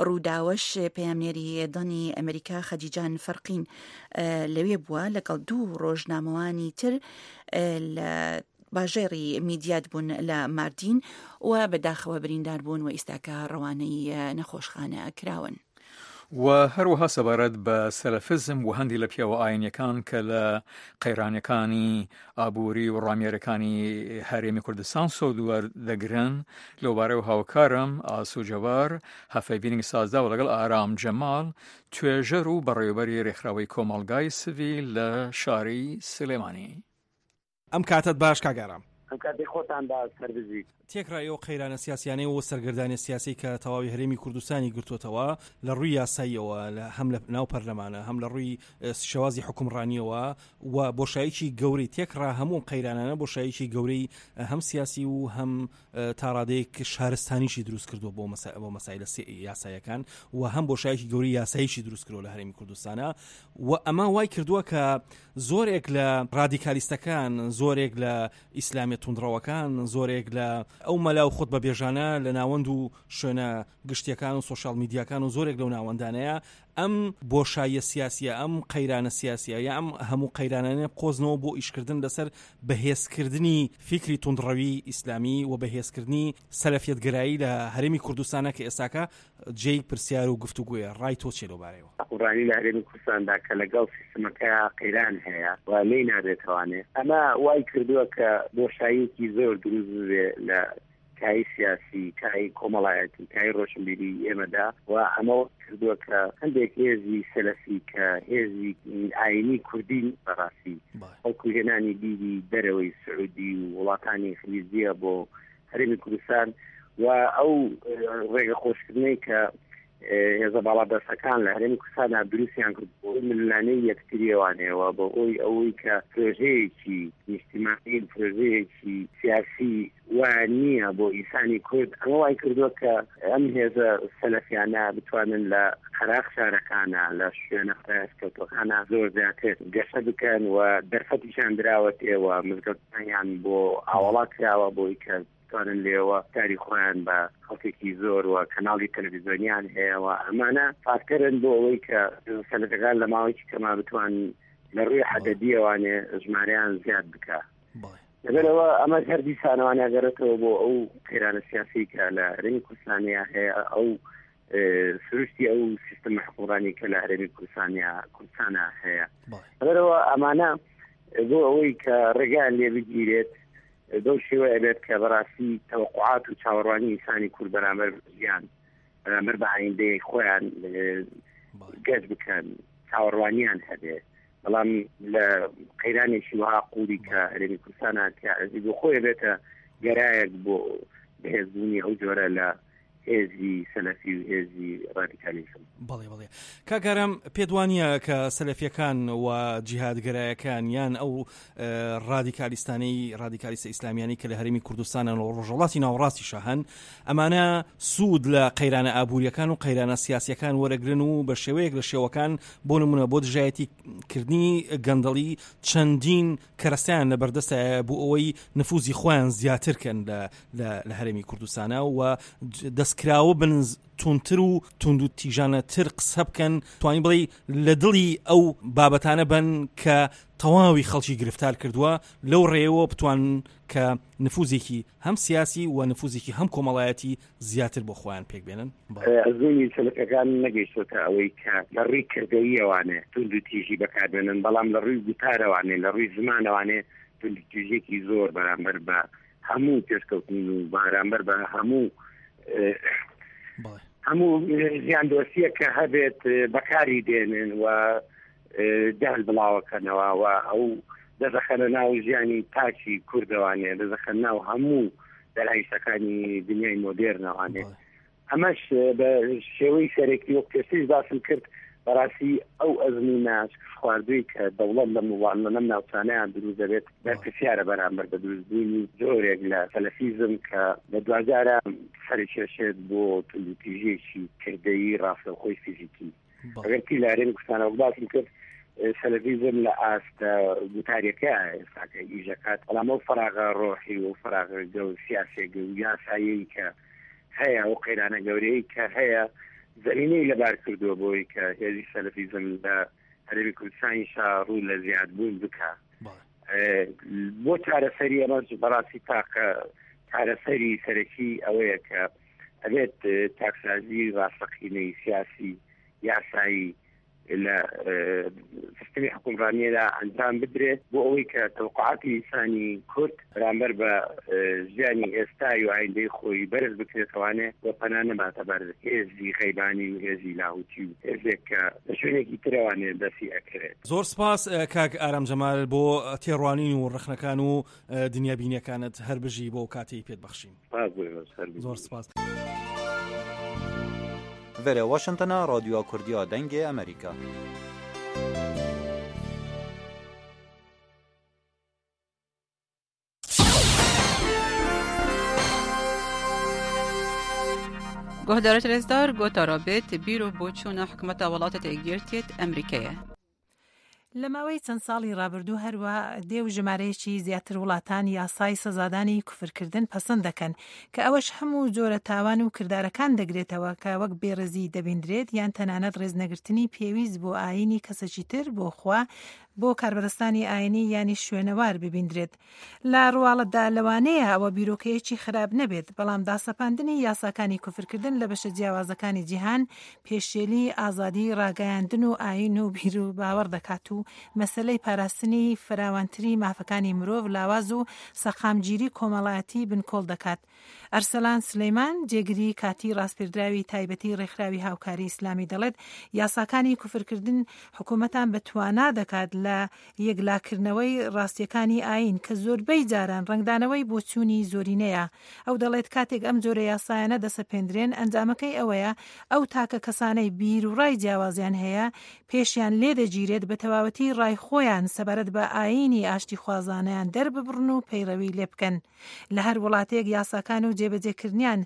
ڕووداوەش پەیامنێری دەنگی ئەمریکا خەدیجان فەرقین لەوێ بووە لەگەڵ دوو ڕۆژنامەوانی تر لە باژێڕی میدیات بوون لە ماردین و بەداخەوە بریندار بوون و ئیستاکە ڕەوانەی نەخۆشخانە کراون. و هەروەها سەبارەت بە سەلەفزم و هەندی لە پیاوە ئاینیەکان کە لە قەیرانەکانی ئابووری و ڕامیارەکانی هەرێمی کوردستان سۆد وەردەگرن لەوبارەی و هاوکارم ئاسو جەوار هەفەیڤینێک سازداوە لەگەڵ ئارام جەماڵ توێژەر و بەڕێوەبەری رێکخراوەی کۆمەڵگای سڤیل لە شاری سلێمانی. ئەم کاتت باش کاک ئارام. ئەم کاتی خۆتان باش سەربزی. تێکڕای ئەو قەیرانە سیاسیانەی و سەرگەردانە سیاسی کە تەواوی هەرێمی کوردستانی گرتووەتەوە لە ڕووی یاساییەوە هەم لە ناو پەرلەمانە هەم لە ڕووی شێوازی حکومڕانیەوە و بۆشاییکی گەورەی تێکڕا هەموو قەیرانانە بۆشاییکی گەورەی هەم سیاسی و هەم تاڕادەیەک شارستانیشی دروست کردووە بۆ بۆ مەسایلە یاساییەکان و هەم بۆشاییکی گەورەی یاساییشی دروست کردووە لە هەرێمی کوردستانە و ئەمە وای کردووە کە زۆرێک لە ڕادیکالیستەکان، زۆرێک لە ئیسلامیە توندڕەوەکان، زۆرێک لە ئەو مەلا و خۆت بە بێژانە لە ناوەند و شوێنە گشتیەکان و سۆشیال میدیاکان و زۆرێک لەو ناوەندانەیە ئەم بۆشاییە سیاسیە، ئەم قەیرانە سیاسیە یا ئەم هەموو قەیرانانە قۆزنەوە بۆ ئیشکردن لەسەر بەهێزکردنی فیکری توندڕەوی ئیسلامی و بەهێزکردنی سەلەفیەتگەرایی لە هەرێمی کوردستانە کە ئێستاکە جێی پرسیار و گفتوگۆیە. ڕای تۆ چیە لەو بارەیەوە؟ حکومڕانی لە هەرێمی کوردستاندا کە لەگەڵ سیستمەکە قەیران هەیە و لێی نابێتوانێ، ئەمە وای کردووە کە بۆشاییەکی زۆر دروست ببێ لە کای سیاسی، کای کۆمەڵایەتی، کای ڕۆشنبیری ئێمەدا و ئەمە کردووە کە هەندێک هێزی سەلەفی کە هێزی ئاینی کوردی بەڕاستی بەڵکو هێنانی بیری دەرەوەی سعودی و وڵاتانی خلیجیە بۆ هەرێمی کوردستان و ئەو ڕێگە خۆشکردنەی کە هێزە باڵادەستەکان لە هەرێمی کوردستاندا دروستیان کرد بۆ ململانێی یەکتریەوانەوە بۆ ئەوی ئەوەی کە پرۆژەیەکی نیشتیمانی پرۆژەیەکی سیاسی وایان نییە بۆ ئینسانی کورد، ئەمە وای کردووە کە ئەم هێزە سەلەفیانە بتوانن لە قەراغ شارەکانە لە شوێنە پەراوێزکەوتووەکانە زۆر زیاتر گەشە بکەن و دەرفەتیشیان دراوەتێ و مزگەوتەکانیان بۆ ئاوەڵا کراوە بۆی کە بتوانن لێوە کاری خۆیان بە خەڵکێکی زۆر و کەناڵی تەلەڤیزیۆنیان هەیە و ئەمانە فاکتەرن بۆ ئەوەی کە سەلەفەکان لە ماوەیەکی کەما بتوان لە ڕووی عەدەدیەوانێ ژمارەیان زیاد بکە. لەبەرەوە ئەمە هەر دیسانەوانە گەڕێتەوە بۆ ئەو قەیرانە سیاسی کە لە هەرێمی کوردستانیا هەیە، ئەو سروشتی ئەو سیستەمە حکومڕانی کە لە هەرێمی کوردستانیا کوردستانە هەیە. لەبەرەوە ئەمانە بۆ ئەوەی کە ڕێگایان لێ بگیرێت بەو شێوە ئەبێت کە بەڕاستی تەوەقعات و چاوەڕوانی ئینسانی کورد بەرامبەر ژیان بەرامبەر بە ئایندەی خۆیان گەشت بکەن، چاوەڕوانیان هەبێت. بەڵام لە قەیرانێکی وەها قووڵی کە هەرێمی کوردستانە تیاعزی بۆ خۆی بێتە گەرایەک بۆ بەهێزبوونی ئەو جۆرە لە هێزی سەلەفی و هێزی ڕادیکالیزم. بەڵێ بەڵێ کاک ئارام، پێت وانییە کە سەلەفیەکان و جیهادگەرایەکان یان ئەو ڕادیکالیستانەی ڕادیکالیستە ئیسلامیانی کە لە هەرێمی کوردستانن و ڕۆژهەڵاتی ناوەڕاستیشە هەن، ئەمانە سوود لە قەیرانە ئابووریەکان و قەیرانە سیاسیەکان وەرەگرن و بە شێوەیەک لە شێوەکان بۆ نمونە بۆ دژایەتی کردنی گەندەڵی چەندین کەرەستەیان لە بەردەستە بۆ ئەوەی نفوزی خۆیان زیاتر کەن لە هەرێمی کوردستانە و دەستکراوە بن توندتر و توند و تیژانەتر قسە بکەن، توانی بڵێ لە دڵی ئەو بابەتانە بن کە تەواوی خەڵکی گرفتار کردووە، لەو ڕێیەوە بتوان کە نفوزێکی هەم سیاسی و نفوزێکی هەم کۆمەڵایەتی زیاتر بۆ خۆیان پێک بێنن. ئەزموونی سەلەفەکان نەگەیشتۆتە ئەوەی کە لە ڕووی کردەییەوانێ توند و تیژی بەکاربێنن، بەڵام لە ڕووی گوتارەوانێ لە ڕووی زمانەوانێ توند و تیژێکی زۆر بەرامبەر بە هەموو پێشکەوتن و بەرامبەر بە هەموو هەموو ژیان دۆستیە کە هەبێت بەکاری دێنن و جەهل بڵاوەکەنەوە و ئەو دەخەنە ناو ژیانی تاکی کوردەوانێ، دەخەنە ناو هەموو دەرهایشتەکانی دنیای مۆدێرنەوانێ. ئەمەش بە شێوەی سەرەکی وەک پێشتریش باسم کرد، بەڕاستی ئەو ئەزموونە خواردووی کە دەوڵەت لەم وڵاتە لەم ناوچانەیان دروست دەبێت بەرپرسیارە بەرامبەر بە دروستبوونی جۆرێک لە سەلەفیزم کە لە دواجارە سەرکێشێت بۆ توندوتیژییەکی کردەیی ڕاستەوخۆی فیزیکی. ئەگەر تی لە هەرێمی کوردستانەوە باسم کرد، سەلەفیزم لە ئاستە گوتاریەکە ئێستاکە ئیشەکات، بەڵام ئەو فەراغە ڕۆحی و فەراغە گەور سیاسیەکە و یاسایی کە هەیە و قەیرانە گەورەیە کە هەیە زمینەی لەبار کردووە بۆی کە هێزی سەلەفیزم لە هەرێمی کوردستانیشا ڕوو لە زیادبوون بکە. بۆ چارەسەری ئەمەش بەڕاستی تاقە چارەسەری سەرەکی ئەوەیە کە ئەبێت تاکسازی ڕاستەقینەی سیاسی یاسایی لە سیستمی حکومڕانیەدا ئەنجام بدرێت بۆ ئەوەی کە تەوقعاتی ئینسانی کورد بەرامبەر بە ژیانی ئێستای و ئایندەی خۆی بەرز بکرێتوانێ و پەنا نەباتە بەر هێزی غەیبانی و هێزی لاهوتی و هێزێک کە لە شوێنێکی ترەوانێ دەستی ئەکرێت. زۆر سپاس کاک ئارام جەمال بۆ تێڕوانین و ڕەخنەکان و دنیابینیەکانت، هەر بژی بۆ کاتێی پێت بەخشین. زۆر سپاس. ڤێرە واشنتۆن رادیو کوردیا دەنگێ ئەمریکا. گۆهدارت رێزدار گۆتارا بێت بیر و بۆچوونە حکومەتە وڵاتە یەکگرتیت ئەمریکایە. لە ماوەی چەند ساڵی ڕابردوو هەروە دێ و ژمارەیەکی زیاتر وڵاتان یاسای سەزادانی کوفرکردن پەسەند دەکەن کە ئەوەش هەموو جۆرە تاوان و کردارەکان دەگرێتەوە کە وەک بێڕێزی دەبیندرێت یان تەنانەت ڕێزنەگرتنی پێویست بۆ ئایینی کەسێکی تر بۆ خوا بۆ کاربەدەستانی ئایینی یانی شوێنەوار ببیندرێت. لە ڕواڵەتدا لەوانەیە ئەوە بیرۆکەیەکی خراپ نەبێت، بەڵام داسەپاندنی یاساکانی کوفرکردن لە بەشە جیاوازەکانی جیهان پێشێلی ئازادی ڕاگەیاندن و ئایین و بیر و باوەڕ دەکات و مەسەلەی پاراستنی فراوانتری مافەکانی مرۆڤ لاواز و سەقامگیری کۆمەڵایەتی بنکۆڵ دەکات. ئەرسەلان سلەیمان جێگری کاتی ڕاسپێردراوی تایبەتی ڕێکخراوی هاوکاری ئیسلامی دەڵێت یاساکانی کوفرکردن حکوومەتان بە توانا دەکات لە یەکلاکردنەوەی ڕاستیەکانی ئایین کە زۆربەی جاران ڕەنگدانەوەی بۆچوونی زۆرینەیە. ئەو دەڵێت کاتێک ئەم جۆرە یاسایانە دەسەپێندرێن ئەنجامەکەی ئەوەیە ئەو تاکە کەسانەی بیر و ڕای جیاوازیان هەیە پێشیان لێدەگیرێت بە تەواوەتی ڕای خۆیان سەبارەت بە ئایینی ئاشتیخوازانەیان دەرببڕن و پەیڕەوی لێ بکەن. لە هەر وڵاتێک یاساکان و جێبەجێکردنیان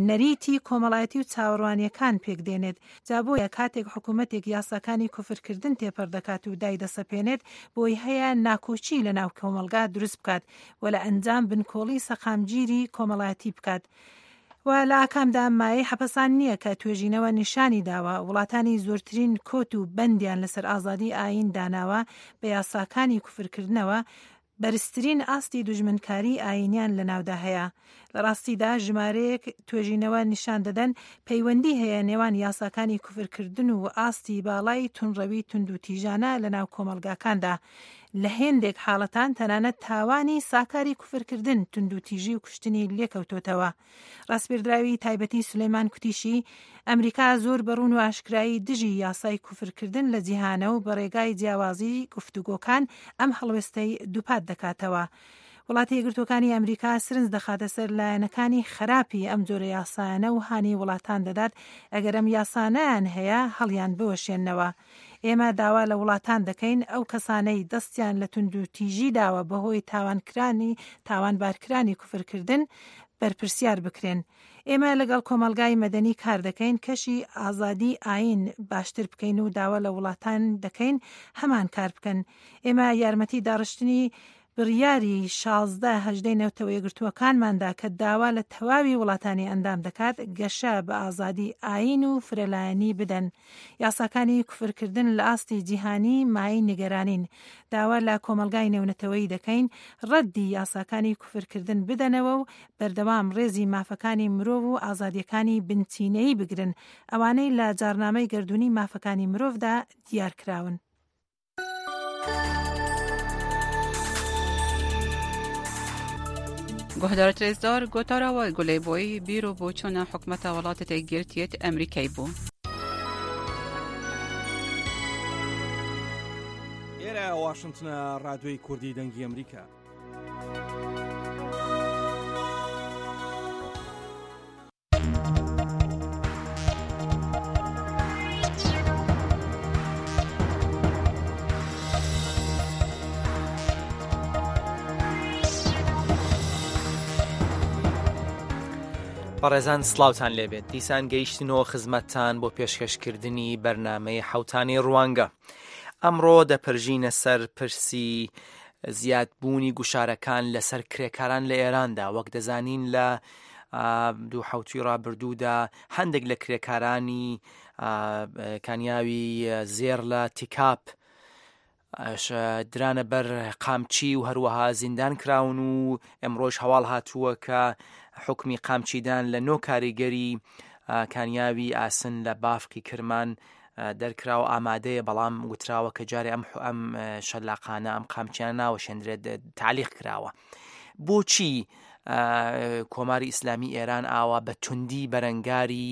نەریتی کۆمەڵایەتی و چاوەڕوانیەکان پێک دێنێت. جا بۆیە کاتێک حکوومەتێک یاساکانی کوفرکردن تێپەڕ دەکات و دای دەسەپێنێت بۆی هەیە ناکۆکی لە ناو کۆمەڵگا دروست بکات و لە ئەنجام بنکۆڵی سەقامگیری کۆمەڵایەتی بکات. و لە ئاکامدا مایەی حەپەسان نییە کە توێژینەوە نیشانی داوە وڵاتانی زۆرترین کۆت و بەندیان لەسەر ئازادی ئایین داناوە بە یاساکانی کوفرکردنەوە بەرزترین ئاستی دوژمنکاری ئایینیان لەناودا هەیە. لە ڕاستیدا ژمارەیەک توێژینەوە نیشان دەدەن پەیوەندی هەیە نێوان یاساکانی کوفرکردن و ئاستی باڵای تونڕەوی توندوتیژانە لەناو کۆمەڵگاکاندا. لە هێندێک حاڵەتان تەنانەت تاوانی ساکاری کوفرکردن توندوتیژی و کوشتنی لێکەوتۆتەوە. ڕاسپێردراوی تایبەتی سولەیمان کوتیشی ئەمریکا زۆر بەڕوون و ئاشکرایی دژی یاسای کوفرکردن لە جیهانە و بە ڕێگای جیاوازی گفتوگۆکان ئەم هەڵوێستەی دووپات دەکاتەوە. وڵاتی یەکگرتووەکانی ئەمریکا سرنج دەخاتە سەر لایەنەکانی خراپی ئەم جۆرە یاسایانە و هانی وڵاتان دەدات ئەگەر ئەم یاسانیان هەیە هەڵیان بوەشێنەوە. ئێمە داوا لە وڵاتان دەکەین ئەو کەسانەی دەستیان لە توندوتیژی داوە بەهۆی تاوانکرانی تاوانبارکرانی کوفرکردن بەرپرسیار بکرێن. ئێمە لەگەڵ کۆمەلگای مەدەنی کار دەکەین کەشی ئازادی ئایین باشتر بکەین و داوا لە وڵاتان دەکەین هەمان کار بکەن. ئێمە یارمەتی داڕشتنی بڕیاری شازدە هەژدەی نەتەوە یەکگرتووەکانماندا کە داوا لە تەواوی وڵاتانی ئەندام دەکات گەشە بە ئازادی ئایین و فرەلایەنی بدەن. یاساکانی کوفرکردن لە ئاستی جیهانی مایەی نیگەرانین. داوا لە کۆمەلگای نێونەتەوەیی دەکەین ڕەدی یاساکانی کوفرکردن بدەنەوە و بەردەوام ڕێزی مافەکانی مرۆڤ و ئازادیەکانی بنچینەیی بگرن، ئەوانەی لە جارنامەی گەردوونی مافەکانی مرۆڤدا دیارکراون. گۆهدارت رێزدار گۆتارەوە گولەی بۆی بیر و بۆچوونە حکومەتە وڵاتە یەکگرتیت ئەمریکای بوو. ئێرە لە واشنتنە ڕادیۆی کوردی دەنگی ئەمریکا. بەڕێزان سڵاوتان لێبێت، دیسان گەیشتنەوە خزمەتتان بۆ پێشکەشکردنی بەرنامەی حەوتانەی ڕوانگە. ئەمڕۆ دەپرژینە سەر پرسی زیادبوونی گوشارەکان لەسەر کرێکاران لە ئێراندا. وەک دەزانین لە دوو حەوتوی ڕابردوودا هەندێک لە کرێکارانی کانیاوی زێڕ لە تیکاپ درانە بەر قامچی و هەروەها زیندان کراون و ئەمڕۆژ هەواڵ هاتووە کە حکمی قامچیدان لە نۆ کاریگەری کانیاوی ئاسن لە بافقی کرمان دەرکراوە ئامادەیە، بەڵام وتراوە کە جارێ ئەم ئەم شەلاقانە ئەم قامچیانە ناوەشێندرێت، تعلیق کراوە. بۆچی کۆماری ئیسلامی ئێران ئاوا بە توندی بەرەنگاری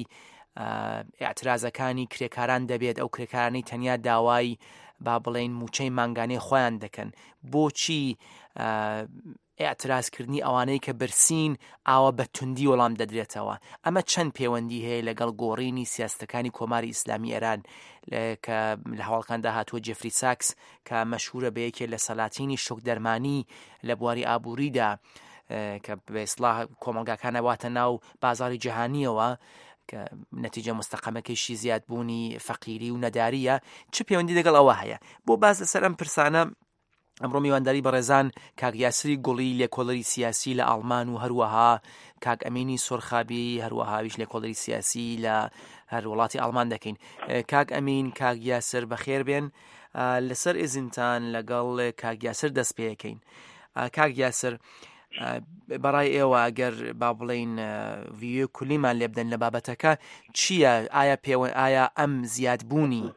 ئاعترازەکانی کرێکاران دەبێت؟ ئەو کرێکارانەی تەنیا داوای با بڵێن موچەی مانگانەی خۆیان دەکەن، بۆچی ئاعترازکردنی ئەوانەی کە برسین ئاوا بە توندی وەڵام دەدرێتەوە؟ ئەمە چەند پەیوەندی هەیە لەگەڵ گۆڕینی سیاستەکانی کۆماری ئیسلامی ئێران کە لە هەواڵکاندا هاتووە جێفری ساکس کە مەشهورە بە یەکێ لە سەلاتینی شۆک دەرمانی لە بواری ئابووریدا کە بە ئیسلاح کۆمەڵگاکانە واتە ناو بازاری جیهانیەوە کە نەتیجە مستەقەمەکەیشی زیادبوونی فەقیری و نەداریە، چ پەیوەندی لەگەڵ ئەوە هەیە؟ بۆ باز لەسەر ئەم پرسانە ئەمڕۆ میوانداری بەڕێزان کاک یاسری گوڵی لێکۆڵەری سیاسی لە ئاڵمان و هەروەها کاک ئەمینی سۆرخابی هەروەهاویش لێکۆڵەری سیاسی لە هەر وڵاتی ئاڵمان دەکەین. کاک ئەمین، کاک یاسر بەخێر بێن. لەسەر ئێزنتان لەگەڵ کاک یاسر دەست پێەکەین. کاک یاسر، بەڕای ئێوە ئەگەر با بڵین ڤیۆ کولیمان لێ بدەن لە بابەتەکە چییە؟ ئایا پێوە ئایا ئەم زیادبوونی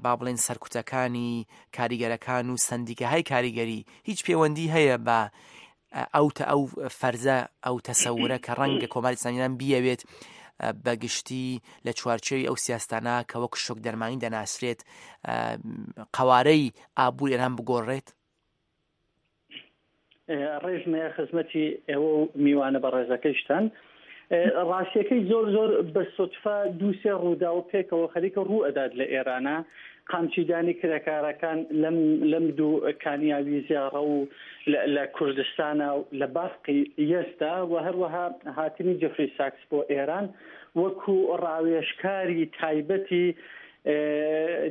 با بڵێن سەرکوتەکانی کاریگەرەکان و سندیکەهای کاریگەری هیچ پەیوەندی هەیە بە ئەو تە ئەو فەرزە ئەو تەسەورە کە ڕەنگە کۆماری ئیسلامیان بیەوێت بەگشتی لە چوارچێوی ئەو سیاستانە کە وەک شۆک دەرمانی دەناسرێت قەوارەی ئابوور ئێران بگۆڕێت؟ ڕێژمەیە خزمەتی ئێوە و میوانە بەڕێزەکەیشتان. ڕاستیەکەی زۆر زۆر بە سوتفە دوو سێ ڕوودا و پێکەوە خەریکە ڕوو ئەدات لە ئێرانە. قامچیدانی کرێکارەکان لەم لەم دوو کانیاوی زیاڕە و لە کوردستانە و لە بافقی یەزدا و هەروەها هاتنی جێفری ساکس بۆ ئێران وەکو ڕاوێژکاری تایبەتی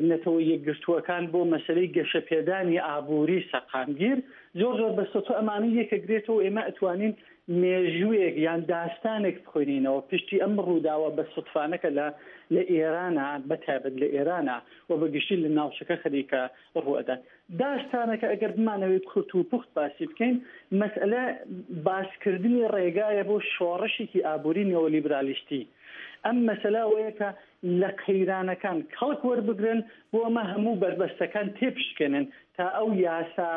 نەتەوە یەکگرتووەکان بۆ مەسەلەی گەشەپێدانی ئابووری سەقامگیر. زۆر زۆر بە سوتفە ئەمانە یەکەگرێتەوە. ئێمە ئەتوانین مێژوویەک یان داستانێک بخوێنینەوە پشتی ئەم ڕووداوە بە سوتفانەکە لە لە ئێرانە، بە تایبەت لە ئێرانە و بەگشتی لە ناوچەکە خەریکە ڕوئەدات. داستانەکە ئەگەر بمانەوەی کورت و پوخت باسی بکەین، مەسئلە باسکردنی ڕێگایە بۆ شۆڕشێکی ئابووری نێولیبرالیستی. ئەم مەسەلە ئەوەیە کە لە قەیرانەکان کەڵک وەربگرن بۆ ئەمە هەموو بەربەستەکان تێپشکێنن تا ئەو یاسا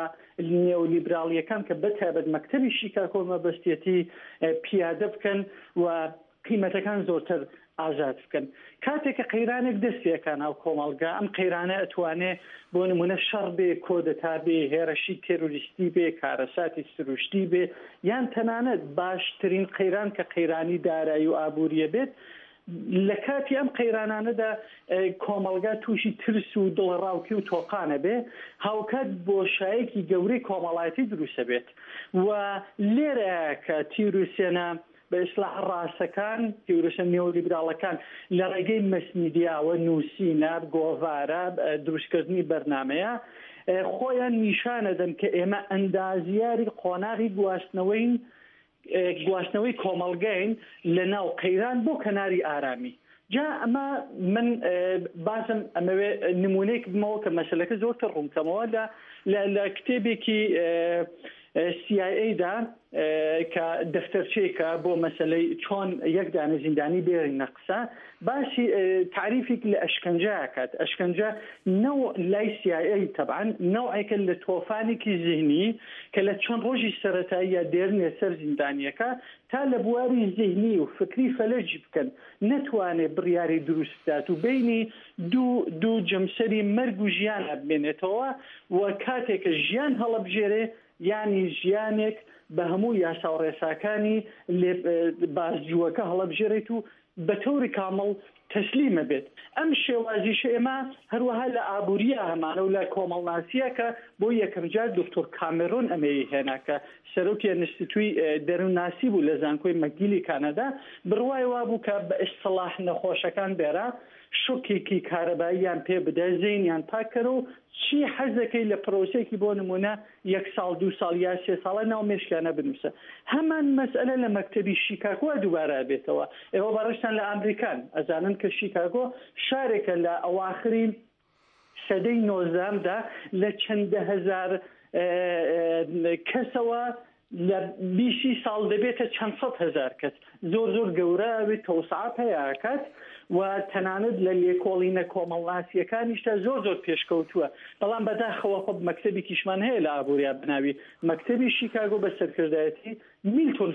نێولیبرالیەکان کە بەتایبەت مەکتەبی شیکاگۆ مەبەستیەتی پیادە بکەن و قیمەتەکان زۆرتر ئازاد بکەن. کاتێک کە قەیرانێک دەست پێکا ناو کۆمەڵگا، ئەم قەیرانە ئەتوانێ بۆ نمونە شەڕ بێ، کۆدەتا بێ، هێرشی تێرۆریستی بێ، کارەساتی سروشتی بێ، یان تەنانەت باشترین قەیران کە قەیرانی دارایی و ئابووریە بێت. لە کاتی ئەم قەیرانانەدا کۆمەڵگا تووشی ترس و دڵەڕاوکی و تۆقانە بێ، هاوکات بۆشایەکی گەورەی کۆمەڵایەتی دروستە بێت و لێرە کە تیوریسیەنە بە ئیسلاح ڕاستەکان، تیوریسە نێولیبراڵەکان لە ڕێگەی مەسمیدیاوە، نووسینە، گۆڤارە، دروستکردنی بەرنمەیە خۆیان نیشانەدەن کە ئێمە ئەندازیاری قۆناغی گواستنەوەین، گواستنەوەی کۆمەڵگەین لە ناو قەیران بۆ کەناری ئارامی. جا ئەمە من بازم ئەمەوێ نمونەیەک بمەوە کە مەسەلەکە زۆرتر ڕوونکەمەوە لە لە کتێبێکی سی ئای ئەی دا کە دەفتەرچەیەکە بۆ مەسەلەی چۆن یەک دانە زیندانی بێرینە قسە، باسی تاریفێک لە ئەشکەنجە ئەکات. ئەشکەنجە نەوع لای سی ئای ئەی تەبعەن نەوعێکە لە تۆفانێکی زیهنی کە لە چەند ڕۆژی سەرەتاییە دێرنێ سەر زیندانیەکە تا لە بواری زیهنی و فکری فەلەجی بکەن، نەتوانێ بڕیاری دروست بدات و بینی دوو دوو جەمسەری مەرگ و ژیانە بمێنێتەوە و کاتێکە ژیان هەڵەبژێرێ، یانی ژیانێک بە هەموو یاسا و ڕێساکانی لێ بازجووەکە هەڵەبژێرێت و بە تەوری کامڵ تەسلیمە بێت. ئەم شێوازیشە ئێمە هەروەها لە ئابووریە هەمانە و لە کۆمەڵناسیە کە بۆ یەکەمجار دکتۆر کامێرۆن ئەمەی هێنا کە سەرۆکی ئەنستیتوی دەروونناسی بوو لە زانکۆی مەگیلی کانادا، بڕوای وابوو کە بە ئیستڵاح نەخۆشەکان بێرە شۆکێکی کارەباییان پێ بدە، زەینیان پاک کەرە و چی حەزەکەی لە پرۆسێکی بۆ نمونە یەک ساڵ دوو ساڵ یا سێ ساڵە ناو مێشکیانە بنووسە. هەمان مەسئلە لە مەکتەبی شیکاگۆ دووبارە بێتەوە. ئێوە بەڕێزتان لە ئەمریکان ئەزانن کە شیکاگۆ شارێکە لە ئەواخری سەدەی نۆزدەهەمدا لە چەندە هەزار کەسەوە لە بیسی ساڵ دەبێتە چەند سەد هەزار کەس، زۆر زۆر گەورە ئەوێت تەوسعە پەیاکات و تەنانەت لە لێکۆڵینە کۆمەڵناسیەکانیشتا زۆر زۆر پێشکەوتووە. بەڵام بەداخەوە خۆ مەکتەبێکیشمان هەیە لە ئابووریا بەناوی مەکتەبی شیکاگۆ بە سەرکردایەتی میلتۆن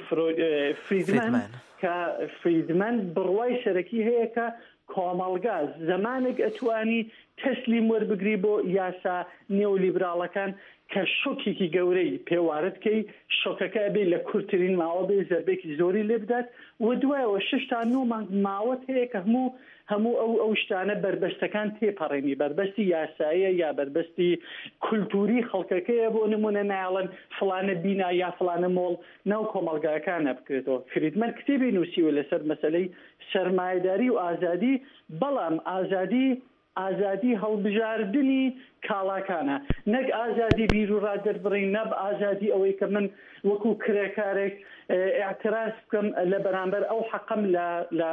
فریدمەن، کە فریدمەن بڕوای سەرەکی هەیە کە کۆمەڵگا زمانێک ئەتوانی تەسلیم وەربگری بۆ یاسا نێولیبراڵەکان کە شۆکێکی گەورەی پێوارد کەی، شۆکەکە ئەبێ لە کورتترین ماوە بێ زەربێکی زۆری لێ بدات و دوایەوە شەش تا نۆ مانگ ماوەت هەیە کە هەموو هەموو ئەو ئەو شتانە بەربەستەکان تێپەڕێنی، بەربەستی یاساییە یا بەربەستی کولتوری خەڵکەکەیە، بۆ نمونە نایڵن فڵانە بینا یا فڵانە مۆڵ ناو کۆمەڵگاکانە بکرێتەوە. فریدمەن کتێبی نووسیوە لەسەر مەسەلەی سەرمایەداری و ئازادی، بەڵام ئازادی ئازادی هەڵبژاردنی کاڵاکانە، نەک ئازادی بیر و ڕادەربڕین، نەب ئازادی ئەوەی کە من وەکو کرێکارێک اعتراض بکەم لە بەرامبەر ئەو حەقەم لە لە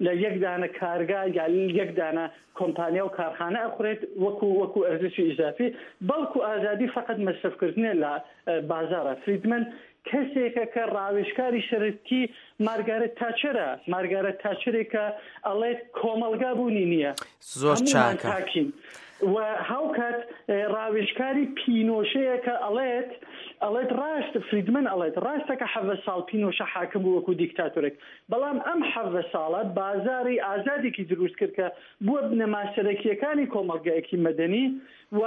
لە یەک دانە کارگا یا یەک دانە کۆمپانیا و کارخانە ئەخورێت وەکو وەکو ئەرزشی ئیزافی، بەڵکو ئازادی فقط مەسرەفکردنە لە بازارە. فریدمەن کەسێکە کە ڕاوێژکاری سەرەکی مارگارێت تاچەرە، مارگارێت تاچەرێکە ئەڵێت کۆمەڵگا بوونی نییە، زۆر چاکە تاکین، و هاوکات ڕاوێژکاری پینۆشەیە کە ئەڵێت ئەڵێت ڕاست، فریدمەن ئەڵێت ڕاستە کە حەڤە ساڵ پینۆشە حاکم بوو وەکو دیکتاتۆرێک، بەڵام ئەم حەڤە ساڵە بازاری ئازادێکی دروست کرد کە بووە بنەما سەرەکیەکانی کۆمەڵگایەکی مەدەنی و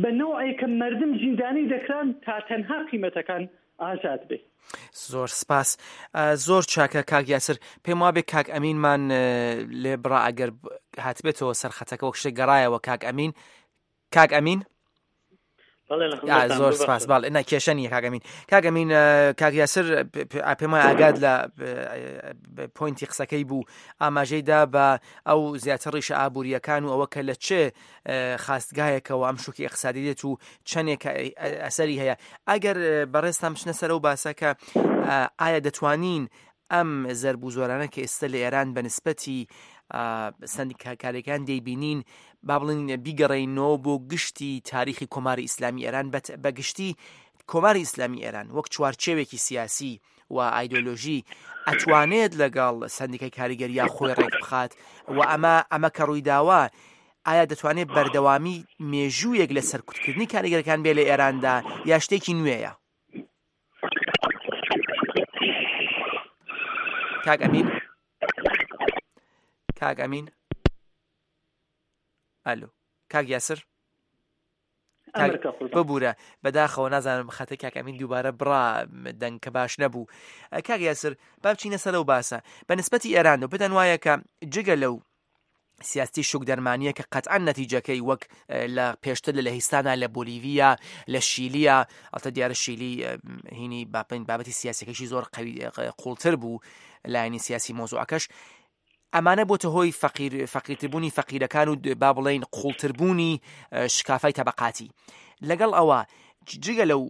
بە نەوعێک کە مردم زیندانی دەکران تا تەنها قیمەتەکان ئازاد بێ. زۆر سپاس، زۆر چاکە کاک یاسر. پێم وابێ کاک ئەمینمان لێ بڕا ئەگەر هاتبێتەوە سەرخەتەکە وەک شتێک گەڕایەوە. کاک ئەمین، کاک ئەمین زۆر سپاس. باڵ نا کێشە نییە کاک ئەمین. کاک ئەمین، کاک یاسر پێم وایە ئاگاد لە پوینتی قسەکەی بوو، ئاماژەی دا بە ئەو زیاتر ڕیشە ئابووریەکان و ئەوە کە لە چێ خاستگایەکەوە ئەم شوکی ئیقتسادی دێت و چەندێک ئەسەری هەیە. ئەگەر بەڕێزتان بچنە سەر ئەو باسە کە ئایا دەتوانین ئەم زەرب و زۆرانە کە ئێستا لە ئێران بە نسبەتی سندیکاکارەکان دەیبینین، با بڵێن بیگەڕێینەوە بۆ گشتی تاریخی کۆماری ئیسلامی ئێران، بە گشتی کۆماری ئیسلامی ئێران وەک چوارچێوێکی سیاسی و ئایدۆلۆژی ئەتوانێت لەگەڵ سندیکای کاریگەریا خۆی ڕێک بخات و ئەمە ئەمە کە ڕوویداوە ئایا دەتوانێت بەردەوامی مێژوویەک لە سەرکوتکردنی کاریگەرەکان بێ لە ئێراندا یا شتێکی نوێیە؟ کاک ئەمین، کاک ئەمین، ئەلو کاک یاسر، ببوورە بەداخەوە نازانم خەتە کاک ئەمین دووبارە بڕا دەنگ کە باش نەبوو. کاک یاسر با بچینە سەر ئەو باسە بە نسبەتی ئێران و پێتان وایە کە جگە لەو سیاستی شوک دەرمانیە کە قەتعەن نەتیجەکەی وەک لە پێشتر لە لەهیستانە، لە بۆلیڤیا، لە شیلیا، ئەڵتە دیارە شیلی هینی باپین بابەتی سیاسەکەشی زۆر قوی قوڵتر بوو لایەنی سیاسی مۆزوعەکەش، ئەمانە بۆتە هۆی فەقیر فەقیرتربوونی فەقیرەکان و با بڵێین قوڵتربوونی شکافای تەبەقاتی. لەگەڵ ئەوە جگە لەو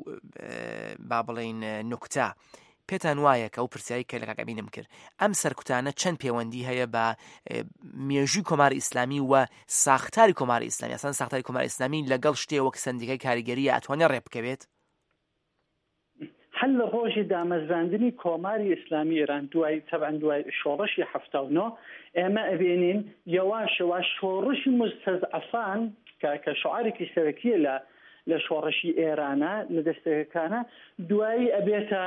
با بڵێین نوکتە، پێتان وایە کە ئەو پرسیاری کە لە کاک ئەمینم کرد، ئەم سەرکوتانە چەند پەیوەندی هەیە بە مێژووی کۆماری ئیسلامی و ساختاری کۆماری ئیسلامی؟ ئەسڵەن ساختاری کۆماری ئیسلامی لەگەڵ شتێ وەک سندیکای کاریگەریە ئەتوانێت ڕێ بکەوێت؟ هەر لە ڕۆژی دامەزراندنی کۆماری ئیسلامی ئێران دوای تەبعەن دوای شۆڕشی حەفتا و نۆ ئێمە ئەبینین یەواش یەواش شۆڕشی مستەزعەفان کە کە شعارێکی سەرەکیە لە لە شۆڕشی ئێرانە لە دەستەکانە دوایی ئەبێتە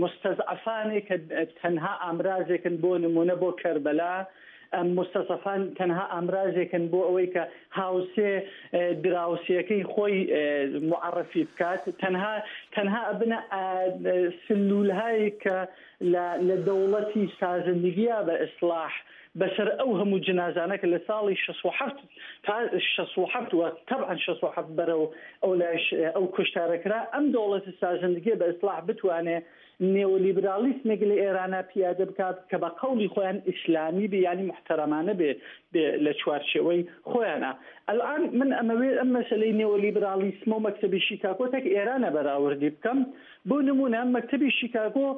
مستەزعەفانێک کە تەنها ئامرازێکن بۆ نمونە بۆ کەربەلا، مستەزعەفان تەنها ئامرازێکن بۆ ئەوەی کە هاوسێ دراوسێەکەی خۆی معرفی بکات، تەنها تەنها ئەبنە سلولهایی کە لە دەوڵەتی سازندگیە بە ئیسلاح بەسەر ئەو هەموو جنازانە کە لە ساڵی شەست و حەفت تا شەست و حەفت و تەبعەن شەست و حەفت بەرەو ئەو لایش ئەو کوشتارە کرا، ئەم دەوڵەتی سازندگیە بە ئیسلاح بتوانێ نێولیبرالیسمێک لە ئێرانە پیادە بکات کە بە قەولی خۆیان ئیسلامی بێ، یعنی محتەرەمانە بێ لە چوارچێوەی خۆیانە. الآن من ئەمەوێت ئەم مەسەلەی نێولیبرالیسم و مەکتەبی شیکاگۆ تەک ئێرانە بەراوردی بکەم. بۆ نمونە مەکتەبی شیکاگۆ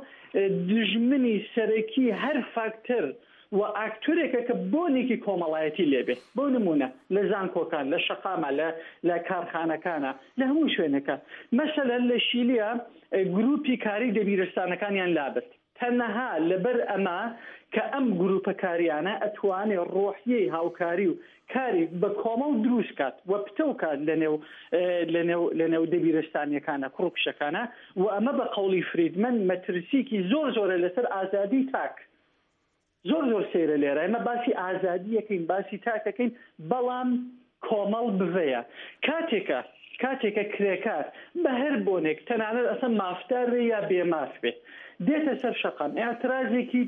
دژمنی سەرەکی هەر فاکتەر و ئاکتۆرێکە کە بۆنێکی کۆمەڵایەتی لێبێ، بۆ نمونە لە زانکۆکان، لە شەقامە، لە لە کارخانەکانە، لە هەموو شوێنەکە. مەسەلەن لە شیلیا گروپی کاری دەبیرستانەکانیان لابرد تەنها لەبەر ئەمە کە ئەم گروپە کاریانە ئەتوانێ ڕۆحیەی هاوکاری و کاری بە کۆمەڵ دروست کات و پتەو کات لەنێو لەنێو لەنێو دەبیرستانیەکانە، کوڕ و کچەکانە. و ئەمە بە قەولی فریدمن مەترسیکی زۆر زۆرە لەسەر ئازادی تاک. زۆر زۆر سەیرە لێرە ئێمە باسی ئازادیەکەین، باسی تاکەکەین، بەڵام کۆمەڵ بڤەیە. کاتێکە کاتێکە کرێکار بە هەر بۆنێک تەنانەت ئەسە مافدار بێ یا بێماف بێ دێتە سەر شەقام، ئاعترازێکی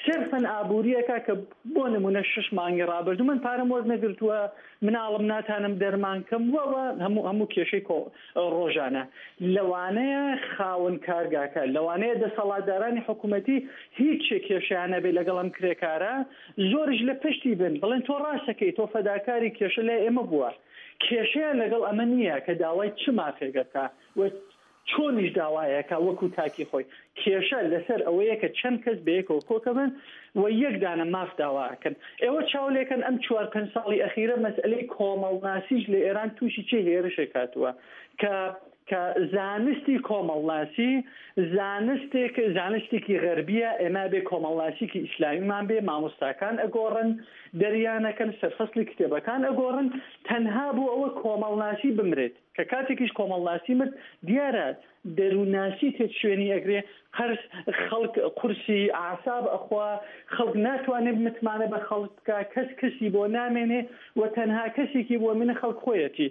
سرفەن ئابووریەکە کە بۆ نمونە شش مانگی ڕابردوو من پارەم وەرنەگرتووە، مناڵم ناتانم دەرمان کەم وەوە هەموو هەموو کێشەی ڕۆژانە. لەوانەیە خاوەن کارگاکە، لەوانەیە دەسەڵاتدارانی حکوومەتی هیچ کێشیان نەبێ لەگەڵ ئەم کرێکارە، زۆریش لە پشتی بن بڵێن تۆ ڕاستەکەی، تۆ فەداکاری، کێشە لای ئێمە بووە. کێشەیان لەگەڵ ئەمە نییە کە داوای چ مافێکەکە و چۆنیش داوایەکە وەکو تاکی خۆی. کێشە لەسەر ئەوەیە کە چەند کەس بەیەکەوە کۆکەبن و یەک دانە ماف داواکەن. ئێوە چاو لێکەن ئەم چوار پێنج ساڵی ئەخیرە مەسئلەی کۆمەڵناسیش لە ئێران تووشی چه هێرشێک هاتووە کە کە زانستی کۆمەڵناسی زانستێک زانستێکی غەربیە، ئێمە بێ کۆمەڵناسیکی ئیسلامیمان بێ، مامۆستاکان ئەگۆڕن، دەریانەکەن، سەرفەسلی کتێبەکان ئەگۆڕن، تەنها بۆ ئەوە کۆمەڵناسی بمرێت. کە کاتێکیش کۆمەڵناسی مرد دیارە دەروونناسی تێت شوێنی ئەگرێ، قەرز خەڵک قورسی ئاساب ئەخوا، خەڵک ناتوانێت متمانە بە خەڵک بکە، کەس کەسی بۆ نامێنێ و تەنها کەسێکی بۆ منە خەڵک خۆیەتی.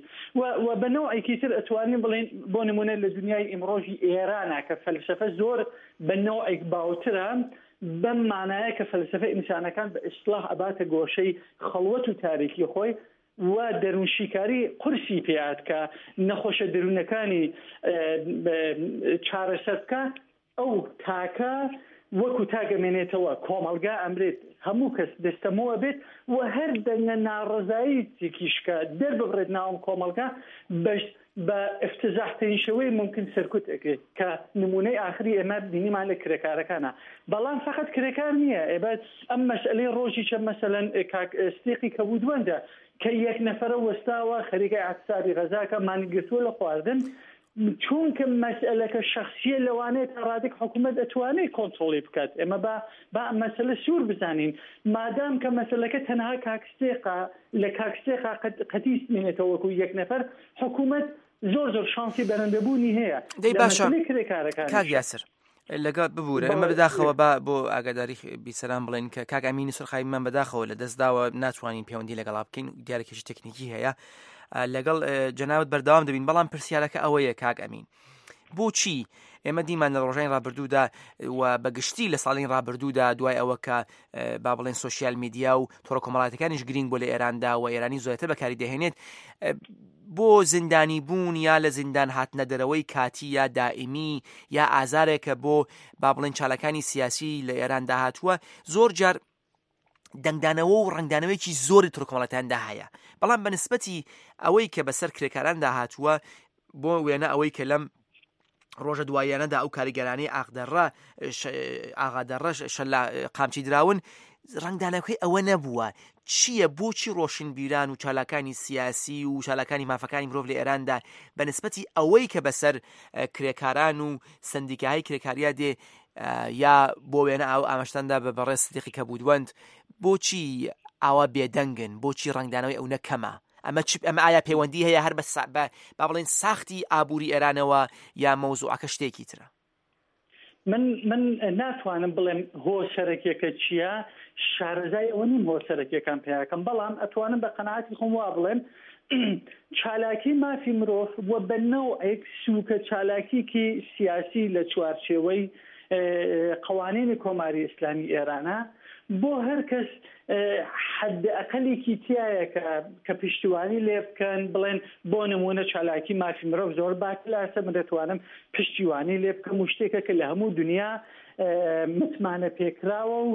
و بە نەوعێکی تر ئەتوانین بڵێن بۆ نمونە لە دنیای ئیمڕۆژی ئێرانە کە فەلسەفە زۆر بە نەوعێک باوترە، بەم مانایە کە فەلسەفە ئینسانەکان بە ئیسلاح ئەباتە گۆشەی خەڵوەت و تاریکی خۆی و دەروونشیکاری قورسی پێیات کە نەخۆشە دەروونەکانی چارەسەر بکە، ئەو تاکە وەکو تاگەمێنێتەوە، کۆمەڵگا ئەمرێت، هەموو کەس دەستەمەوە بێت و هەر دەنگە ناڕەزایی تێکیشکە دەرببڕێت ناوم کۆمەڵگا بەش بە افتزاحترین شێوەی ممکن سەرکوت ئەکرێت کە نمونەی ئاخری ئێمە بینیمان لە کرێکارەکانە. بەڵام فقط کرێکار نییە، ئێبە ئەم مەسئلەی ڕۆژی چە مەسەلەن کاک ستیقی کەبوودوەندە کە یەک نەفەرە وەستاوە خەریکە اعتصابی غەزاکە مانی گرتووە لە خواردن، چونکە مەسئلەکە شخصیە لەوانەیە تا ڕادێک حکوومەت ئەتوانێت کۆنترۆڵی بکات. ئێمە با با مەسئلە سوور بزانین، مادام کە مەسئلەکە تەنها کاکستێقا لە کاکستێقا قەتیس مێنێتەوە وەکو یەک نەفەر، حکوومەت زۆر زۆر شانسی بەرەندەبوونی هەیە. دەی باشە کاک یاسر لەگەڵ ببوورە ئێمە بەداخەوە با بۆ ئاگاداری بیسەران بڵێن کە کاک ئەمینی سەرخایمان بەداخەوە لە دەستداوە ناتوانین پەیوەندی لەگەڵا بکەین، دیارێکیش تەکنیکی هەیە. لەگەڵ جەنابەت بەردەوام دەبین، بەڵام پرسیارەکە ئەوەیە کاک ئەمین، بۆچی ئێمە دیمان لە ڕۆژانی ڕابردوودا و بەگشتی لە ساڵی ڕابردوودا دوای ئەوە کە با بڵێن سۆشیال میدیا و تۆڕە کۆمەڵایەتەکانیش گرنگ بۆ لە ئێراندا و ئێرانی زۆرتر بەکاری دەهێنێت بۆ زیندانی بوون یا لە زیندان هاتنە دەرەوەی کاتی یا دائیمی یا ئازارێکە بۆ با بڵێن چالاکانی سیاسی لە ئێراندا هاتووە، زۆر جار دەنگدانەوە و ڕەنگدانەوەیەکی زۆری تۆڕە کۆمەڵایەتیاندا هەیە. بەڵام بە نسبەتی ئەوەی کە بەسەر کرێکاراندا هاتووە، بۆ وێنە ئەوەی کە لەم ڕۆژە دواییانەدا ئەو کاریگەرانەی ئاغدەڕە ئاغادەڕەش شەلا قامچی دراون، ڕەنگدانەوەکەی ئەوە نەبووە. چییە؟ بۆچی ڕۆشنبیران و چالاکانی سیاسی و چالاکانی مافەکانی مرۆڤ لە ئێراندا بە نسبەتی ئەوەی کە بەسەر کرێکاران و سندیکاهای کرێکاریا دێ یا بۆ وێنە ئاو ئاماژتاندا بە بەڕێز سدیقی کەبوودوەند، بۆچی ئاوا بێدەنگن؟ بۆچی ڕەنگدانەوەی ئەو نەکەمە؟ ئەمە چ ئەمە ئایا پەیوەندی هەیە هەر بە با بڵێن ساختی ئابووری ئێرانەوە یا مەوزوعەکە شتێکی ترە؟ من من ناتوانم بڵێم هۆ سەرەکیەکە چییە، شارەزای ئەوە نیم هۆ سەرەکیەکان پیاکەم، بەڵام ئەتوانم بە قەناعەتی خۆم وا بڵێم چالاکی مافی مرۆڤ و بە نەوعێک سووکە چالاکیکی سیاسی لە چوارچێوەی قوانینی کۆماری ئیسلامی ئێرانە بۆ هەر کەس حد ئەقلێکی تایە کە کە پشتیوانی لێ بکەن، بڵێن بۆ نمونە چالاکی مافی مرۆڤ زۆر باکلاسە، من دەتوانم پشتیوانی لێ بکەم و شتێکە کە لە هەموو دنیا متمانە پێکراوە و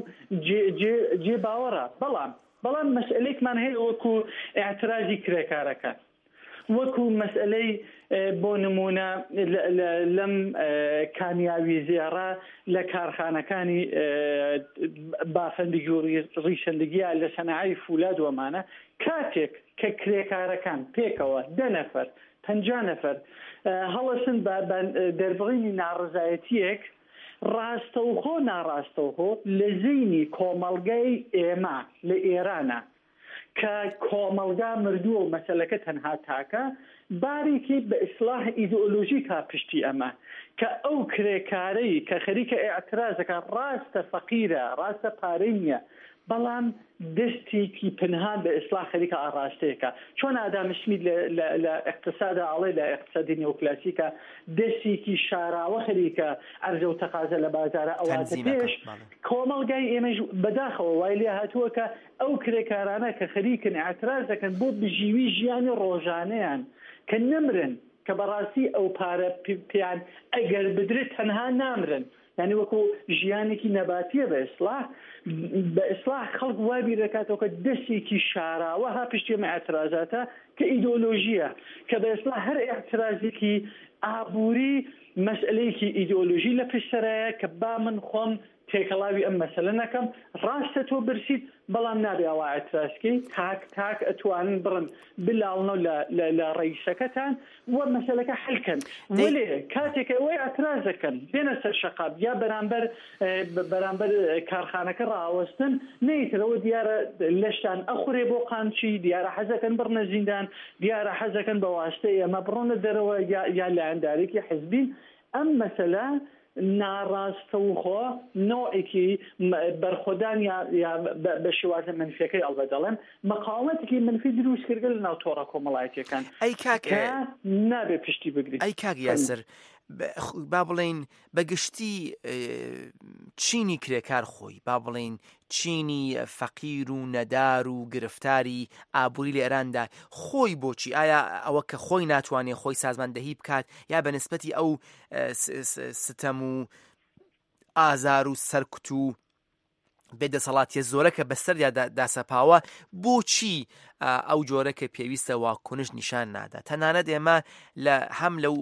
جێ باوەڕە. بەڵام بەڵام مەسئلەیەکمان هەیە وەکو ئاعترازی کرێکارەکان، وەکو مەسئلەی بۆ نمونە لەم کامیاوی زێڕە لە کارخانەکانی بافەندگی و ڕیشەندگیە لە سەناعەی فولاد وەمانە، کاتێک کە کرێکارەکان پێکەوە دە نەفەر پەنجا نەفەر هەڵەسن بە دەربڕینی ناڕزایەتیەک ڕاستەوخۆ ناڕاستەوخۆ لە زەینی کۆمەڵگای ئێمە لە ئێرانە کە کۆمەڵگا مردووە و مەسەلەکە تەنها تاکە بارێکی بە ئیسلاح ئیدئۆلۆژیکا پشتی ئەمە کە ئەو کرێکارەی کە خەریکە ئیعترازەکە ڕاستە فەقیرە، ڕاستە پارەی نییە، بەڵام دەستێکی پنهان بە ئیسلاح خەریکە ئاڕاستەیەکە. چۆن ئادام سمیت لە ئیقتسادا ئەڵێ لە ئیقتسادی نیۆکلاسیکا دەستێکی شاراوە خەریکە عەرزە و تەقازە لە بازارە ئەواتە پێش کۆمەڵگای ئێمەش بەداخەوە وای لێ هاتووە کە ئەو کرێکارانە کە خەریکن ئیعتراز دەکەن بۆ بژیوی ژیانی ڕۆژانەیان کە نەمرن، کە بەڕاستی ئەو پارە پێیان ئەگەر بدرێت تەنها نامرن، یعنی وەکو ژیانێکی نەباتیە بە ئیسلاح بە ئیسلاح خەڵک وا بیر دەکاتەوە کە دەستێکی شاراوە ها پشتی ئەمە ئیعترازاتە کە ئیدۆلۆژیە، کە بە ئیسلاح هەر ئیعترازێکی ئابووری مەسئلەیەکی ئیدۆلۆژی لە پشت سەرایە کە با من خۆم تێکەڵاوی ئەم مەسەلە نەکەم. ڕاستە تۆ برسیت، بەڵام نابێ ئەوە ئیعترازکەی، تاک تاک ئەتوانن بڕن بلاڵنەوە لە ڕئیسەکەتان و مەسەلەکە حلکەن. وەلێ کاتێک ئەوەی ئیعتراز دەکەن بێنە سەر شەقام یا بەرامبەر بەرامبەر کارخانەکە ڕاوەستن، نەیترەوە دیارە لەشتان ئەخورێ بۆ قامچی، دیارە حەزەکەن بڕنە زیندان، دیارە حەزەکەن بە واسطەی ئێمە بڕۆنە دەرەوە یا لایەندارێکی حزبین. ئەم مەسەلە ناڕاستەوخۆ نەوعێکی بەرخۆدان یا بە شێوازە منفیەکەی ئەڵبە دەڵێم مقاومەتێکی منفی دروست کردگە لە ناو تۆڕە کۆمەڵایەتیەکان ئەی کاک نابێ پشتی بگریت. ئەی کاک یاسر، با بڵێین بە گشتی چینی کرێکار خۆی، با بڵێین چینی فەقیر و نەدار و گرفتاری ئابووری لە ئێراندا خۆی بۆچی ئایا ئەوە کە خۆی ناتوانێت خۆی سازماندەهی بکات یا بە نسبەتی ئەو ستەم و ئازار و سەرکوت و بێدەسەڵاتیە زۆرە کە بەسەریا داسەپاوە، بۆچی ئەو جۆرە کە پێویستە واکنش نیشان نادا؟ تەنانەت ئێمە لە هەم لەو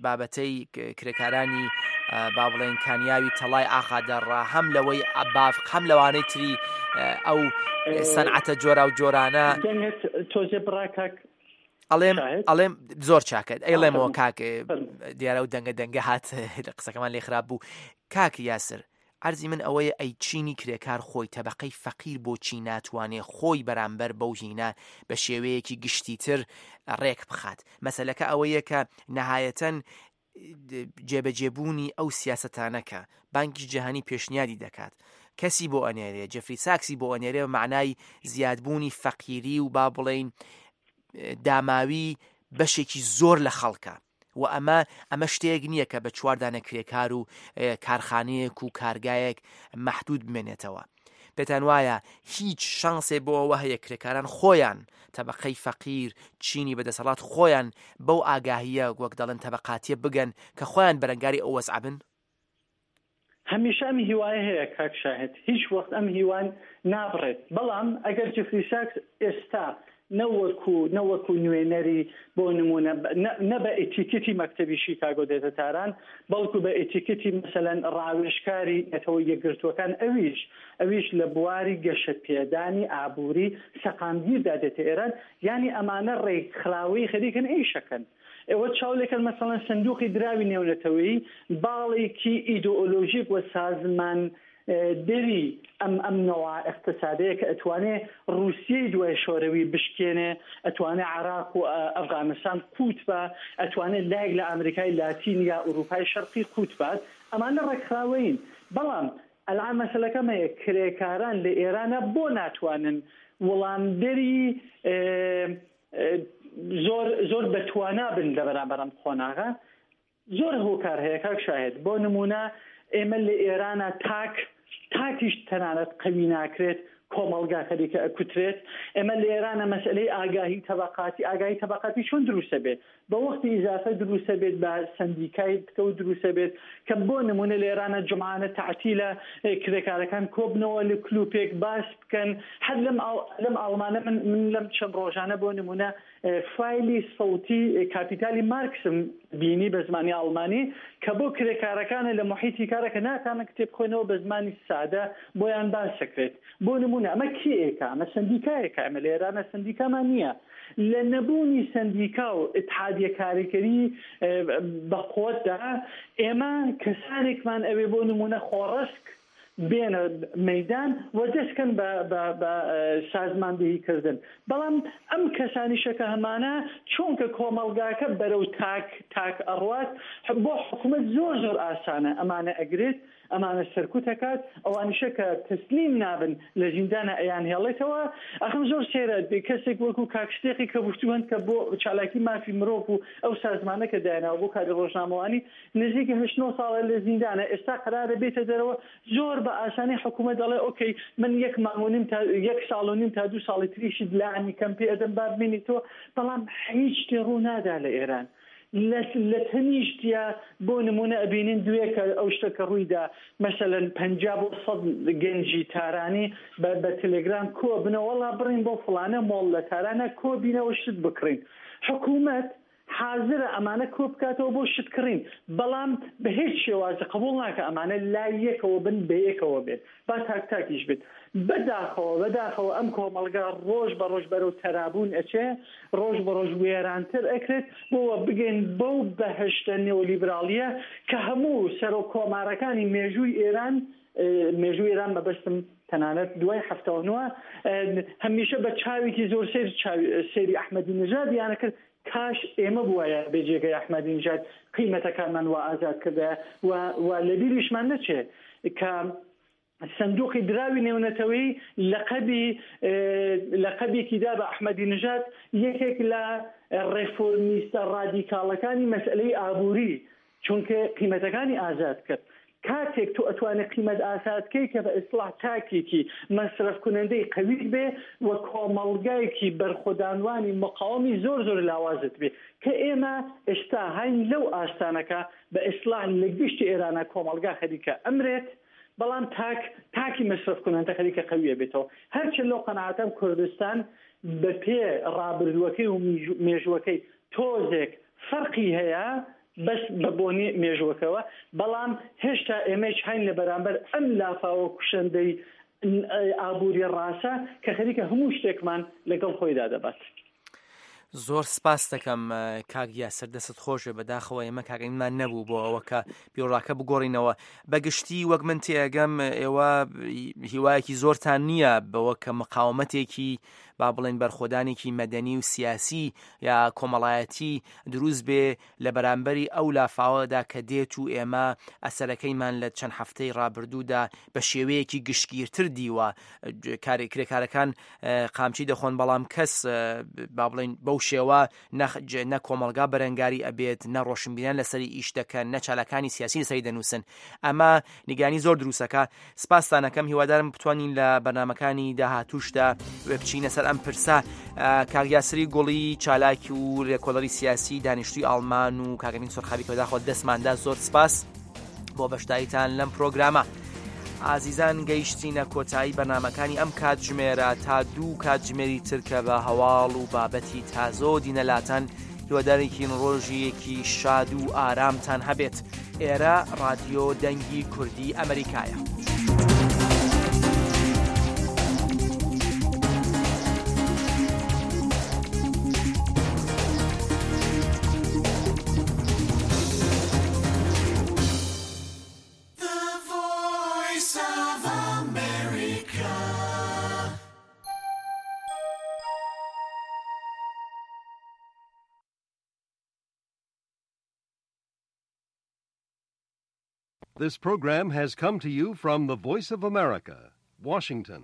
بابەتەی کرێکارانی با بڵێن کانیاوی تەڵای ئاخادەڕا، هەم لەوەی بافق، هەم لەوانەی تری ئەو سەنعەتە جۆرا و جۆرانە. تۆزێ بڕا کاک ئەڵێم ئەڵێم زۆر چاکەت ئەیڵێمەوە کاک، دیارە و دەنگە دەنگە هات قسەکەمان لێ خراپ بوو. کاک یاسر، عەرزی من ئەوەیە ئەی چینی کرێکار خۆی تەبقەی فەقیر بۆچی ناتوانێ خۆی بەرامبەر بەو هینە بە شێوەیەکی گشتیتر ڕێک بخات؟ مەسەلەکە ئەوەیە کە نەهایەتەن جێبەجێبوونی ئەو سیاسەتانە کە بانکی جیهانی پێشنیادی دەکات کەسی بۆ ئەنێرێ، جێفری ساکسی بۆ ئەنێرێ، معنای زیادبوونی فەقیری و با بڵێین داماوی بەشێکی زۆر لە خەڵکە. و ئەمە ئەمە شتێک نییە کە بە چواردانە کرێکار و کارخانەیەک و کارگایەک مەحدود بمێنێتەوە. پێتان وایە هیچ شانسێ بۆ ئەوە هەیە کرێکاران خۆیان تەبقەی فەقیر چینی بەدەسەڵات خۆیان بەو ئاگاهیە وەک دەڵێن تەبقاتیە بگەن کە خۆیان بەرەنگاری ئەو وەزعە بن؟ هەمیشە ئەم هیوایە هەیە کاک شاهد، هیچ وەخت ئەم هیوان نابڕێت. بەڵام ئەگەر جێفری ساکس ئێستا نەوەکو نەوەکو نوێنەری بۆ نمونە نە بە ئەتیکێتی مەکتەبی شیکاگۆ دێتە تاران، بەڵکو بە ئەتیکێتی مەسەلەن ڕاوێژکاری نەتەوە یەکگرتووەکان، ئەویش ئەویش لە بواری گەشەپێدانی ئابووری سەقامگیردا دێتە ئێران. یعنی ئەمانە ڕێکخراوەی خەریکن ئیشەکەن. ئێوە چاو لێکەن مەسەڵەن سندوقی دراوی نێونەتەوەیی باڵێکی ئیدۆلۆژیک و سازمان دەری ئەم ئەم نەوە اقتصادەیە کە ئەتوانێ ڕووسیەی دوای شۆرەوی بشکێنێ، ئەتوانێ عراق و ئەفغانستان قووت بە، ئەتوانێت لایەک لە ئەمریکای لاتین یا ئەوروپای شەرقی قووت بات. ئەمانە ڕێکخراوەین. بەڵام ئەلعام مەسەلەکەم هەیە، کرێکاران لە ئێرانە بۆ ناتوانن وڵامدەری زۆر زۆر بەتوانا بن لە بەرامبەر ئەم قۆناغە. زۆر هۆکار هەیە کاک شاهد. بۆ نمونە ئێمە لە ئێرانە تاک تاکیش تەنانەت قەوی ناکرێت، کۆمەڵگا خەریکە ئەکوترێت. ئێمە لە ئێرانە مەسئلەی ئاگاهی تەبەقاتی، ئاگاهی تەبەقاتی چۆن دروستە بێت؟ بە وەختی ئیزافە دروستە بێت، بە سەندیکای پتەو دروستە بێت کە بۆ نمونە لە ئێرانە جومعانە تەعتیلە کرێکارەکان کۆبنەوە لە کلوپێک باس بکەن. هەر لەم لەم ئاڵمانە من من لەم چەند ڕۆژانە بۆ نمونە فایلی سەوتی کاپیتالی مارکسم بینی بە زمانی ئاڵمانی کە بۆ کرێکارەکانە لە محیطی کارەکە ناتانە کتێب خوێنەوە بە زمانی سادە بۆیان باس دەکرێت. بۆ نمونە ئەمە کێیەکە؟ ئەمە سەندیکایەکە. ئەمە لە ئێرانە سەندیکامان نییە. لە نەبوونی سەندیکا و ئیتحادیە کاریکەری بە قوتدا ئێمە کەسانێکمان ئەوێ بۆ نمونە خۆڕسک بێنە مەدان و دەستکەن بە سازماندەهیکردن. بەڵام ئەم کەسانیشە کە هەمانە چونکە کۆمەڵگاکە بەرەو تاک تاک ئەڕوات، بۆ حکوومەت زۆر زۆر ئاسانە ئەمانە ئەگرێت، ئەمانە سەرکوت ئەکات، ئەوانیشە کە تەسلیم نابن لە زیندانە ئەیان هێڵێتەوە. ئەخم زۆر سێرە کەسێک وەکو کاکشتێقی کە گفتوهند کە بۆ چالاکی مافی مرۆڤ و ئەو سازمانە کە دایاناوە بۆ کاری ڕۆژنامەوانی نزیکی هەشت نۆ ساڵە لە زیندانە، ئێستا قەرارە بێتە دەرەوە. زۆر بە ئاسانی حکوومەت دەڵێ ئۆکەی من یەک مانگ و نیم تا یەک ساڵ و نیم تا دوو ساڵی تریشت لانی کەم پێ ئەدەم با بمێنیتەوە. بەڵام هیچ شتێ ڕوو نادا لە ئێران. لە تەنیشتیا بۆ نمونە ئەبینین دوێکە ئەو شتە کە ڕوویدا مەسەلەن پەنجا بۆ سەد گەنجی تارانی بە تەلێگرام کۆ بنەوە، وەڵا بڕین بۆ فڵانە مۆڵ لە تارانە کۆ بینەوە شت بکڕین. حکوومەت حاضرە ئەمانە کۆ بکاتەوە بۆ شت کڕین، بەڵام بە هیچ شێوازە قبوڵ ناکە ئەمانە لای یەکەوە بن بە یەکەوە بێت، با تاک تاکیش بێت. بەداخەوە بەداخەوە ئەم کۆمەڵگا ڕۆژ بە ڕۆژ بەرەو تەرابوون ئەچێ، ڕۆژ بە ڕۆژ وێرانتر ئەکرێت بۆوە بگەین بەو بەهشتە نێولیبراڵیە کە هەموو سەرۆک کۆمارەکانی مێژووی ئێران، مێژووی ئێران مەبەستم تەنانەت دوای هەفتە و نۆ، هەمیشە بە چاوێکی زۆر سەیر سەیری ئەحمەدی نژادیانە کرد. کاش ئێمە بووایە بێ جێگەی ئەحمەدی نژاد قیمەتەکانمان وا ئازاد کردایە و لەبیریشمان نەچێ کە سندوقی دراوی نێونەتەوەی لەقەبی لەقەبێکی دا بە ئەحمەدی نژاد یەکێک لە ڕێفۆرمیستە ڕادیکاڵەکانی مەسئلەی ئابووری، چونکە قیمەتەکانی ئازاد کرد. کاتێک تۆ ئەتوانێت قیمەت ئازادکەی کە بە ئیسلاح تاکێکی مەسرەف کنەندەی قەویت بێ و کۆمەڵگایەکی بەرخۆدانوانی مقاومی زۆر زۆر لاوازت بێ، کە ئێمە ئێستا هەین لەو ئاستانەکە بە ئیسلاح لە گشتی ئێرانە کۆمەڵگا خەریکە ئەمرێت، بەڵام تاک تاکی مەسرەف کنەندە خەریکە قەویە بێتەوە. هەرچەند لەو قەناعەتەم کوردستان بە پێ ڕابردووەکەی و مێژووەکەی تۆزێک فەرقی هەیە بەس بە بۆنی مێژوەکەوە، بەڵام هێشتا ئێمەش هەین لە بەرامبەر ئەم لافاوە کوشندەی ئابووری ڕاستە کە خەریکە هەموو شتێکمان لەگەڵ خۆیدا دەبات. زۆر سپاس دەکەم کاک یاسر، دەستت خۆش بێ. بەداخەوە ئێمە کاگەنیمان نەبوو بۆ ئەوە کە بیرۆڕاکە بگۆڕینەوە. بەگشتی وەک من تێگەم ئێوە هیوایەکی زۆرتان نییە بەوە کە مقاومەتێکی با بڵێن بەرخۆدانێکی مەدەنی و سیاسی یا کۆمەڵایەتی دروست بێ لە بەرامبەری ئەو لافاوەدا کە دێت و ئێمە ئەسەرەکەیمان لە چەند هەفتەی ڕابردوودا بە شێوەیەکی گشتگیرتر دیوە. کرێکارەکان قامچی دەخۆن، بەڵام کەس با بڵێن بەو شێوە نە کۆمەڵگا بەرەنگاری ئەبێت، نە ڕۆشنبیران لەسەری ئیش دەکەن، نە چالاکانی سیاسی لەسەری دەنووسن. ئەمە نیگەرانی زۆر دروستەکە. سپاستانەکەم، هیوادارم بتوانین لە بەرنامەکانی داهاتووشدا بچینە سەر ئەم پرسە. کاک یاسری گوڵی چالاکی و لێکۆڵەری سیاسی دانیشتووی ئاڵمان و کاک ئەمین سۆرخابی کە بەداخەوە دەستماندا، زۆر سپاس بۆ بەشداریتان لەم پرۆگرامە. ئازیزان گەیشتینە کۆتایی بەرنامەکانی ئەم کاتژمێرە تا دوو کاتژمێری تر کە بە هەواڵ و بابەتی تازۆ دینەلاتان هیوادارێکین ڕۆژیەکی شاد و ئارامتان هەبێت. ئێرە ڕادیۆ دەنگی کوردی ئەمریکایە. The voice of America. This program has come to you from the Voice of America, Washington.